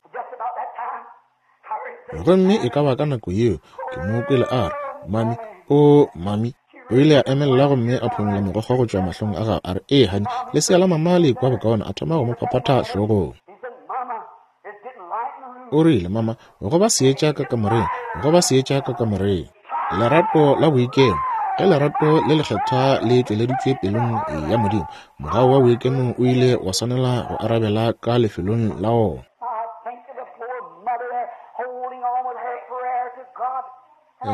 Gomme e ka ba ka nako yeo ke mo kwele a re, Mami, o mami. O ile a emelela gomme a phumola megokgo go tšwa mahlong a gagwe, a re, Ee, honey, lesea la mama le ikwa bokaone. A thoma go mo phaphatha hlogong. O rile, Mama, go ba seetša ka kamoreng, go ba seetša ka kamoreng. Lerato la boikemo. Ge lerato le lekgethwa le tšweleditšwe pelong ya Modimo, mogau wa boikemo o ile wa swanela go arabela ka lefelong la wona.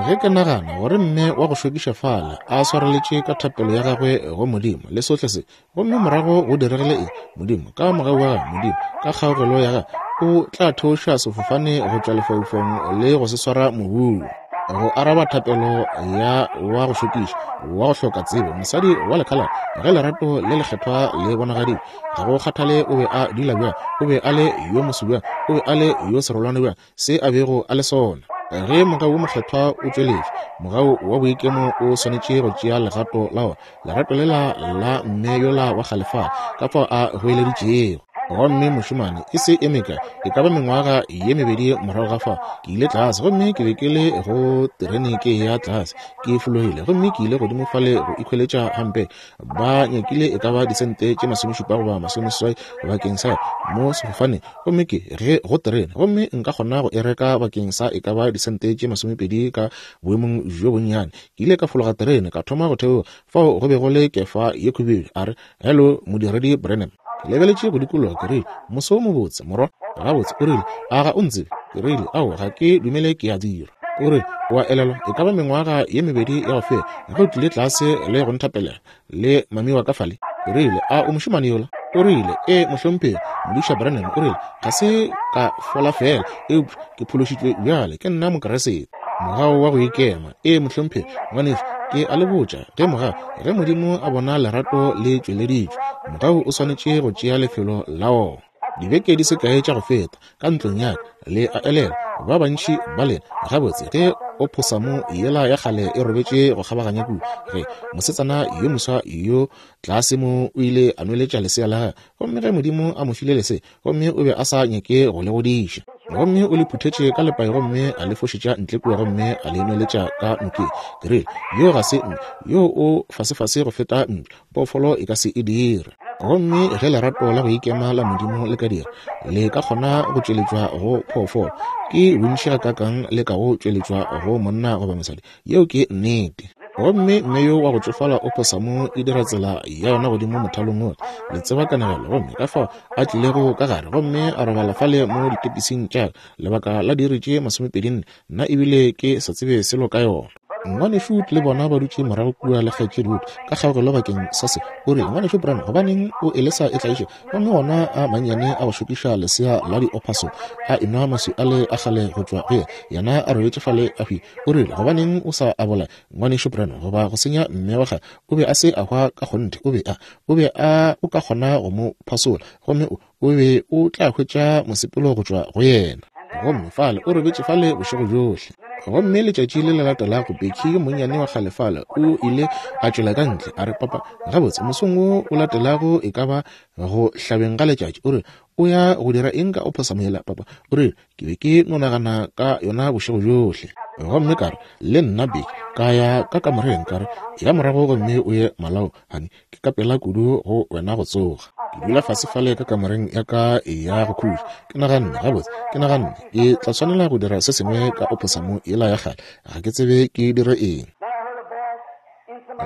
Ge ke nagana gore mme wa go šokiša fale a swareletše ka thapelo ya gagwe go Modimo le sohle se, gomme morago go diregile eng? Modimo, ka mogau wa gagwe, Modimo, ka kgaogelo ya gagwe, O tla theoša sefofane go tšwa lefaufaung le go se swara mobung. Go araba thapelo ya wa go šokiša, wa go hloka tsebo, mosadi wa lekhalate, ge lerato le lekgethwa le bonagaditšwe, ga go kgathale o be a dula bjang, o be a le yo moso bjang, o be a le yo serolwane bjang, se a bego a le sona. Ge mogau wo mokgethwa o tšweletše, mogau wa boikemo o swanetše go tšea legato la wona, lerato lela la mme yola wa kgale fale, ka fao a goeleditšego. Gomme mošemane, e se e mekae, e ka ba mengwaga ye mebedi morago ga fao, ke ile tlase, gomme ke be ke le go terene ke eya tlase, ke fologile, gomme ke ile godimo fale go ikhweletša gampe. Ba nyakile e ka ba disente tše masomešupa goba masomeseswai bakeng sa mo sefofaneng, gomme ke ge go terene, gomme nka kgona go e reka bakeng sa e ka ba disente tše masomepedi ka boemong bjo bonnyane. Ke ile ka fologa terene, ka thoma go theoga. Fao go be go le kefa ye khubedu. A re, Hello, Modiredi Branham. Ke lebeletše go dikologa, ke rile, Moso wo mobotse, morwa. Gabotse, o rile, a ga o ntsebe? Ke rile, Ao, ga ke dumele ke a dira. O rile, O a elelwa, e ka ba mengwaga ye mebedi ya go feta, ge o tlile tlase le go nthapelela, le mami wa ka fale? Ke rile, A o mošemane yola? O rile, Ee, mohlomphegi, Modiša Branham. O rile, Ga se ka fola feela, eupša ke phološitšwe bjale. Ke nna Mokriste. Mogau wa go ikema. Ee, mohlomphegi, ngwanešu, ke a le botša, ge mogau, ge Modimo a bona lerato le tšweleditšwe, mogau o swanetše go tšea lefelo la wona. Dibeke di se kae tša go feta, ka ntlong ya ka, le a elelwa, ba bantši ba lena, gabotse, ge ophosamo yela ya kgale e robetše go kgabaganya kua, ge mosetsana yo moswa yo tlase mo o ile a nweletša lesea la gagwe, gomme ge Modimo a mo file lesea, gomme o be a sa nyake go le godiša, gomme o le phuthetše ka lepai gomme a le fošetša ntle kua gomme a le nweletša ka nokeng. Ke rile, Yo ga se mme, yo o fasefase go feta mpša. Phoofolo e ka se e dire. Gomme ge lerato la go ikema la Modimo le ka dira, le ka kgona go tšweletšwa go phoofolo, ke bontši gakaakang le ka go tšweletšwa go monna goba mosadi. Yeo ke nnete. Gomme mme yo wa go tšofala o phosamo e dira tsela ya yona godimo mothalong wola. Le tseba kanegelo, gomme ka fao a tlilego ka gare gomme a robala fale mo ditepising tša ka lebaka la diiri tše masomepedinne, nna ebile ke sa tsebe selo ka yona. Ngwanešu Wood le bona ba dutše morago kua le Kgaetšedi Wood ka kgaogelo bakeng sa se. O rile, Ngwanešu Branham, gobaneng o e lesa e tlaiše? Gomme wona a mannyane a go šokiša lesea la diophaso a enwa maswi ale a kgale go tšwa go yena, yena a robetše fale a hwile. O rile, Gobaneng o sa a bolaye, Ngwanešu Branham, goba go senya mme wa gagwe? O be a se a hwa ka kgonthe. O be a, o be a, o ka kgona go mo phasola, gomme o, o be o tla hwetša mosepelo go tšwa go yena. Gomme fale o robetše fale bošego bjohle. Gomme letšatši le le latelago, Becky yo monnyane wa kgale fale o ile a tšwela ka ntle, a re, Papa, gabotse, mosong wo o latelago e ka ba go hlabeng ga letšatši, o re, o ya go dira eng ka ophosamo yela, papa? O rile, Ke be ke no nagana ka yona bošego bjohle. Gomme ka re, Le nna, Becky. Ka ya ka kamoreng, ka re, Ya morago gomme o ye malao, honey. Ke ka pela kudu go wena go tsoga. Ke dula fase fale ka kamoreng ya ka ya go khutša. Ke naganne, Gabotse, ke naganne, ke tla swanela go dira se sengwe ka ophosamo yela ya kgale. Ga ke tsebe ke dire eng.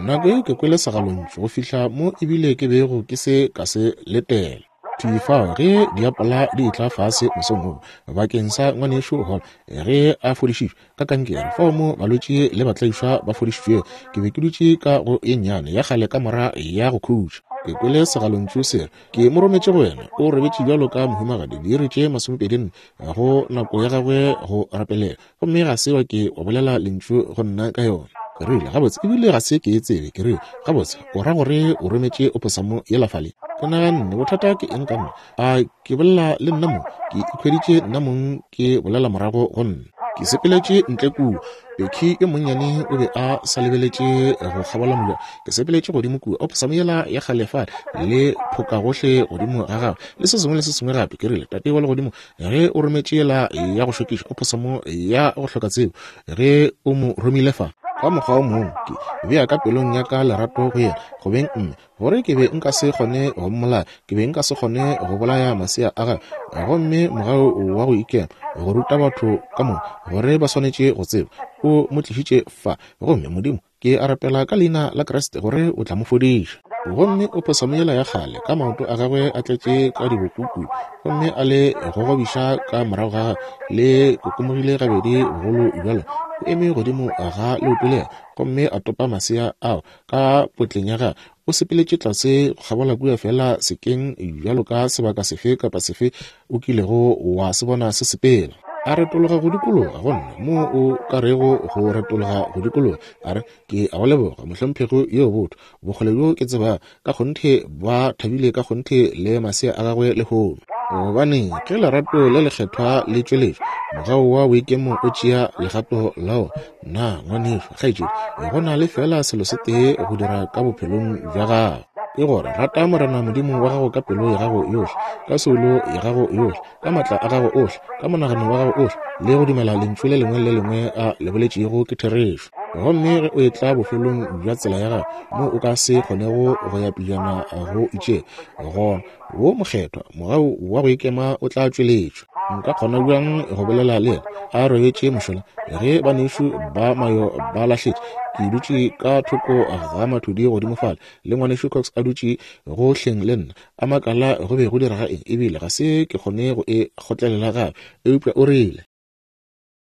Nako yeo ke kwele segalontšu go fihla mo ebile ke bego ke se ka se letela. Thwi fao ge diapola di etla fase mosong wo bakeng sa ngwanešu Hall ge a fodišitšwe ka kankere, fao mo balwetši le batlaišwa ba fodišitšwego, ke be ke dutše ka go ye nnyane ya kgale kamora ya go khutša. Ke kwele segalontšu se re, Ke mo rometše go wena. O robetše bjalo ka mohumagadi diiri tše masomepedinne go nako ya gagwe go rapelela, gomme ga se wa ke wa bolela lentšu go nna ka yona. Ke rile, Gabotse, ebile ga se ke e tsebe. Ke rile, Gabotse, o ra gore o rometše oposamo yela fale? Ke naganne, Bothata ke eng ka nna? A ke bolela le nna mong? Ke ikhweditše nna mong ke bolela morago go nna. Ke sepeletše ntle kua. Becky yo monnyane o be a sa lebeletše go kgabola mojako. Ke sepeletše godimo kua, oposamo yela ya kgale fale, le phoka gohle godimo ga gagwe, le se sengwe le se sengwe gape. Ke rile, Tate wa Legodimo, ge o rometše yela ya go šokiša oposamo ya go hloka tsebo, ge o mo romile fa, ka mokgwa o mongwe ke bea ka pelong ya ka lerato go yena, go beng mme, gore ke be nka se kgone go mmolaya, ke be nka se kgone go bolaya masea a gagwe. Gomme mogau wa go ikema, go ruta batho ka moka gore ba swanetše go tseba, o mo tlišitše fa. Gomme Modimo, Ke a rapela ka Leina la Kriste gore o tla mo fodiša. Gomme o phosamo yela ya kgale, ka maoto a gagwe a tletše ka dibokuku, gomme a le gogobiša ka morago ga gagwe, le kokomogile gabedi bogolo bjalo, o eme godimo ga leoto lela, gomme a topa masea ao ka potleng ya gagwe. O sepeletše tlase go kgabola kua feela sekeng bjalo ka sebaka sefe kapa sefe o kilego wa se bona se sepela. A retologa go dikologa go nna, mo o ka rego go retologa go dikologa, a re, Ke a go leboga, mohlomphegi yo botho. Bokgole bjo ke tsebago, ka kgonthe ba thabile ka kgonthe le masea a gagwe lehono. Gobane ge lerato le lekgethwa le tšweletšwa, mogau wa boikemo o tšea legato la wona. Na, ngwanešu, kgaetšedi, go na le feela selo se tee go dira ka bophelong bja gago, ke gore rata Morena Modimo wa gago ka pelo ya gago yohle, ka soulo ya gago yohle, ka matla a gago ohle, ka monagano wa gago ohle, le go dumela Lentšu le lengwe le le lengwe a le boletšego ke therešo. Gomme ge o etla bofelong bja tsela ya gago, moo o ka se kgonego go ya pejana go itšego, gona wo mokgethwa mogau wa go ikema o tla tšweletšwa. Nka kgona bjang go bolela le yena a robetše mošola ge banešu ba mayo ba lahletše? Ke dutše ka thoko ga mathudi godimo fale, le ngwanešu Cox a dutše go hleng le nna, a makala go be go direga eng, ebile ga se ke kgone go e kgotlelela gape. Eupša o rile.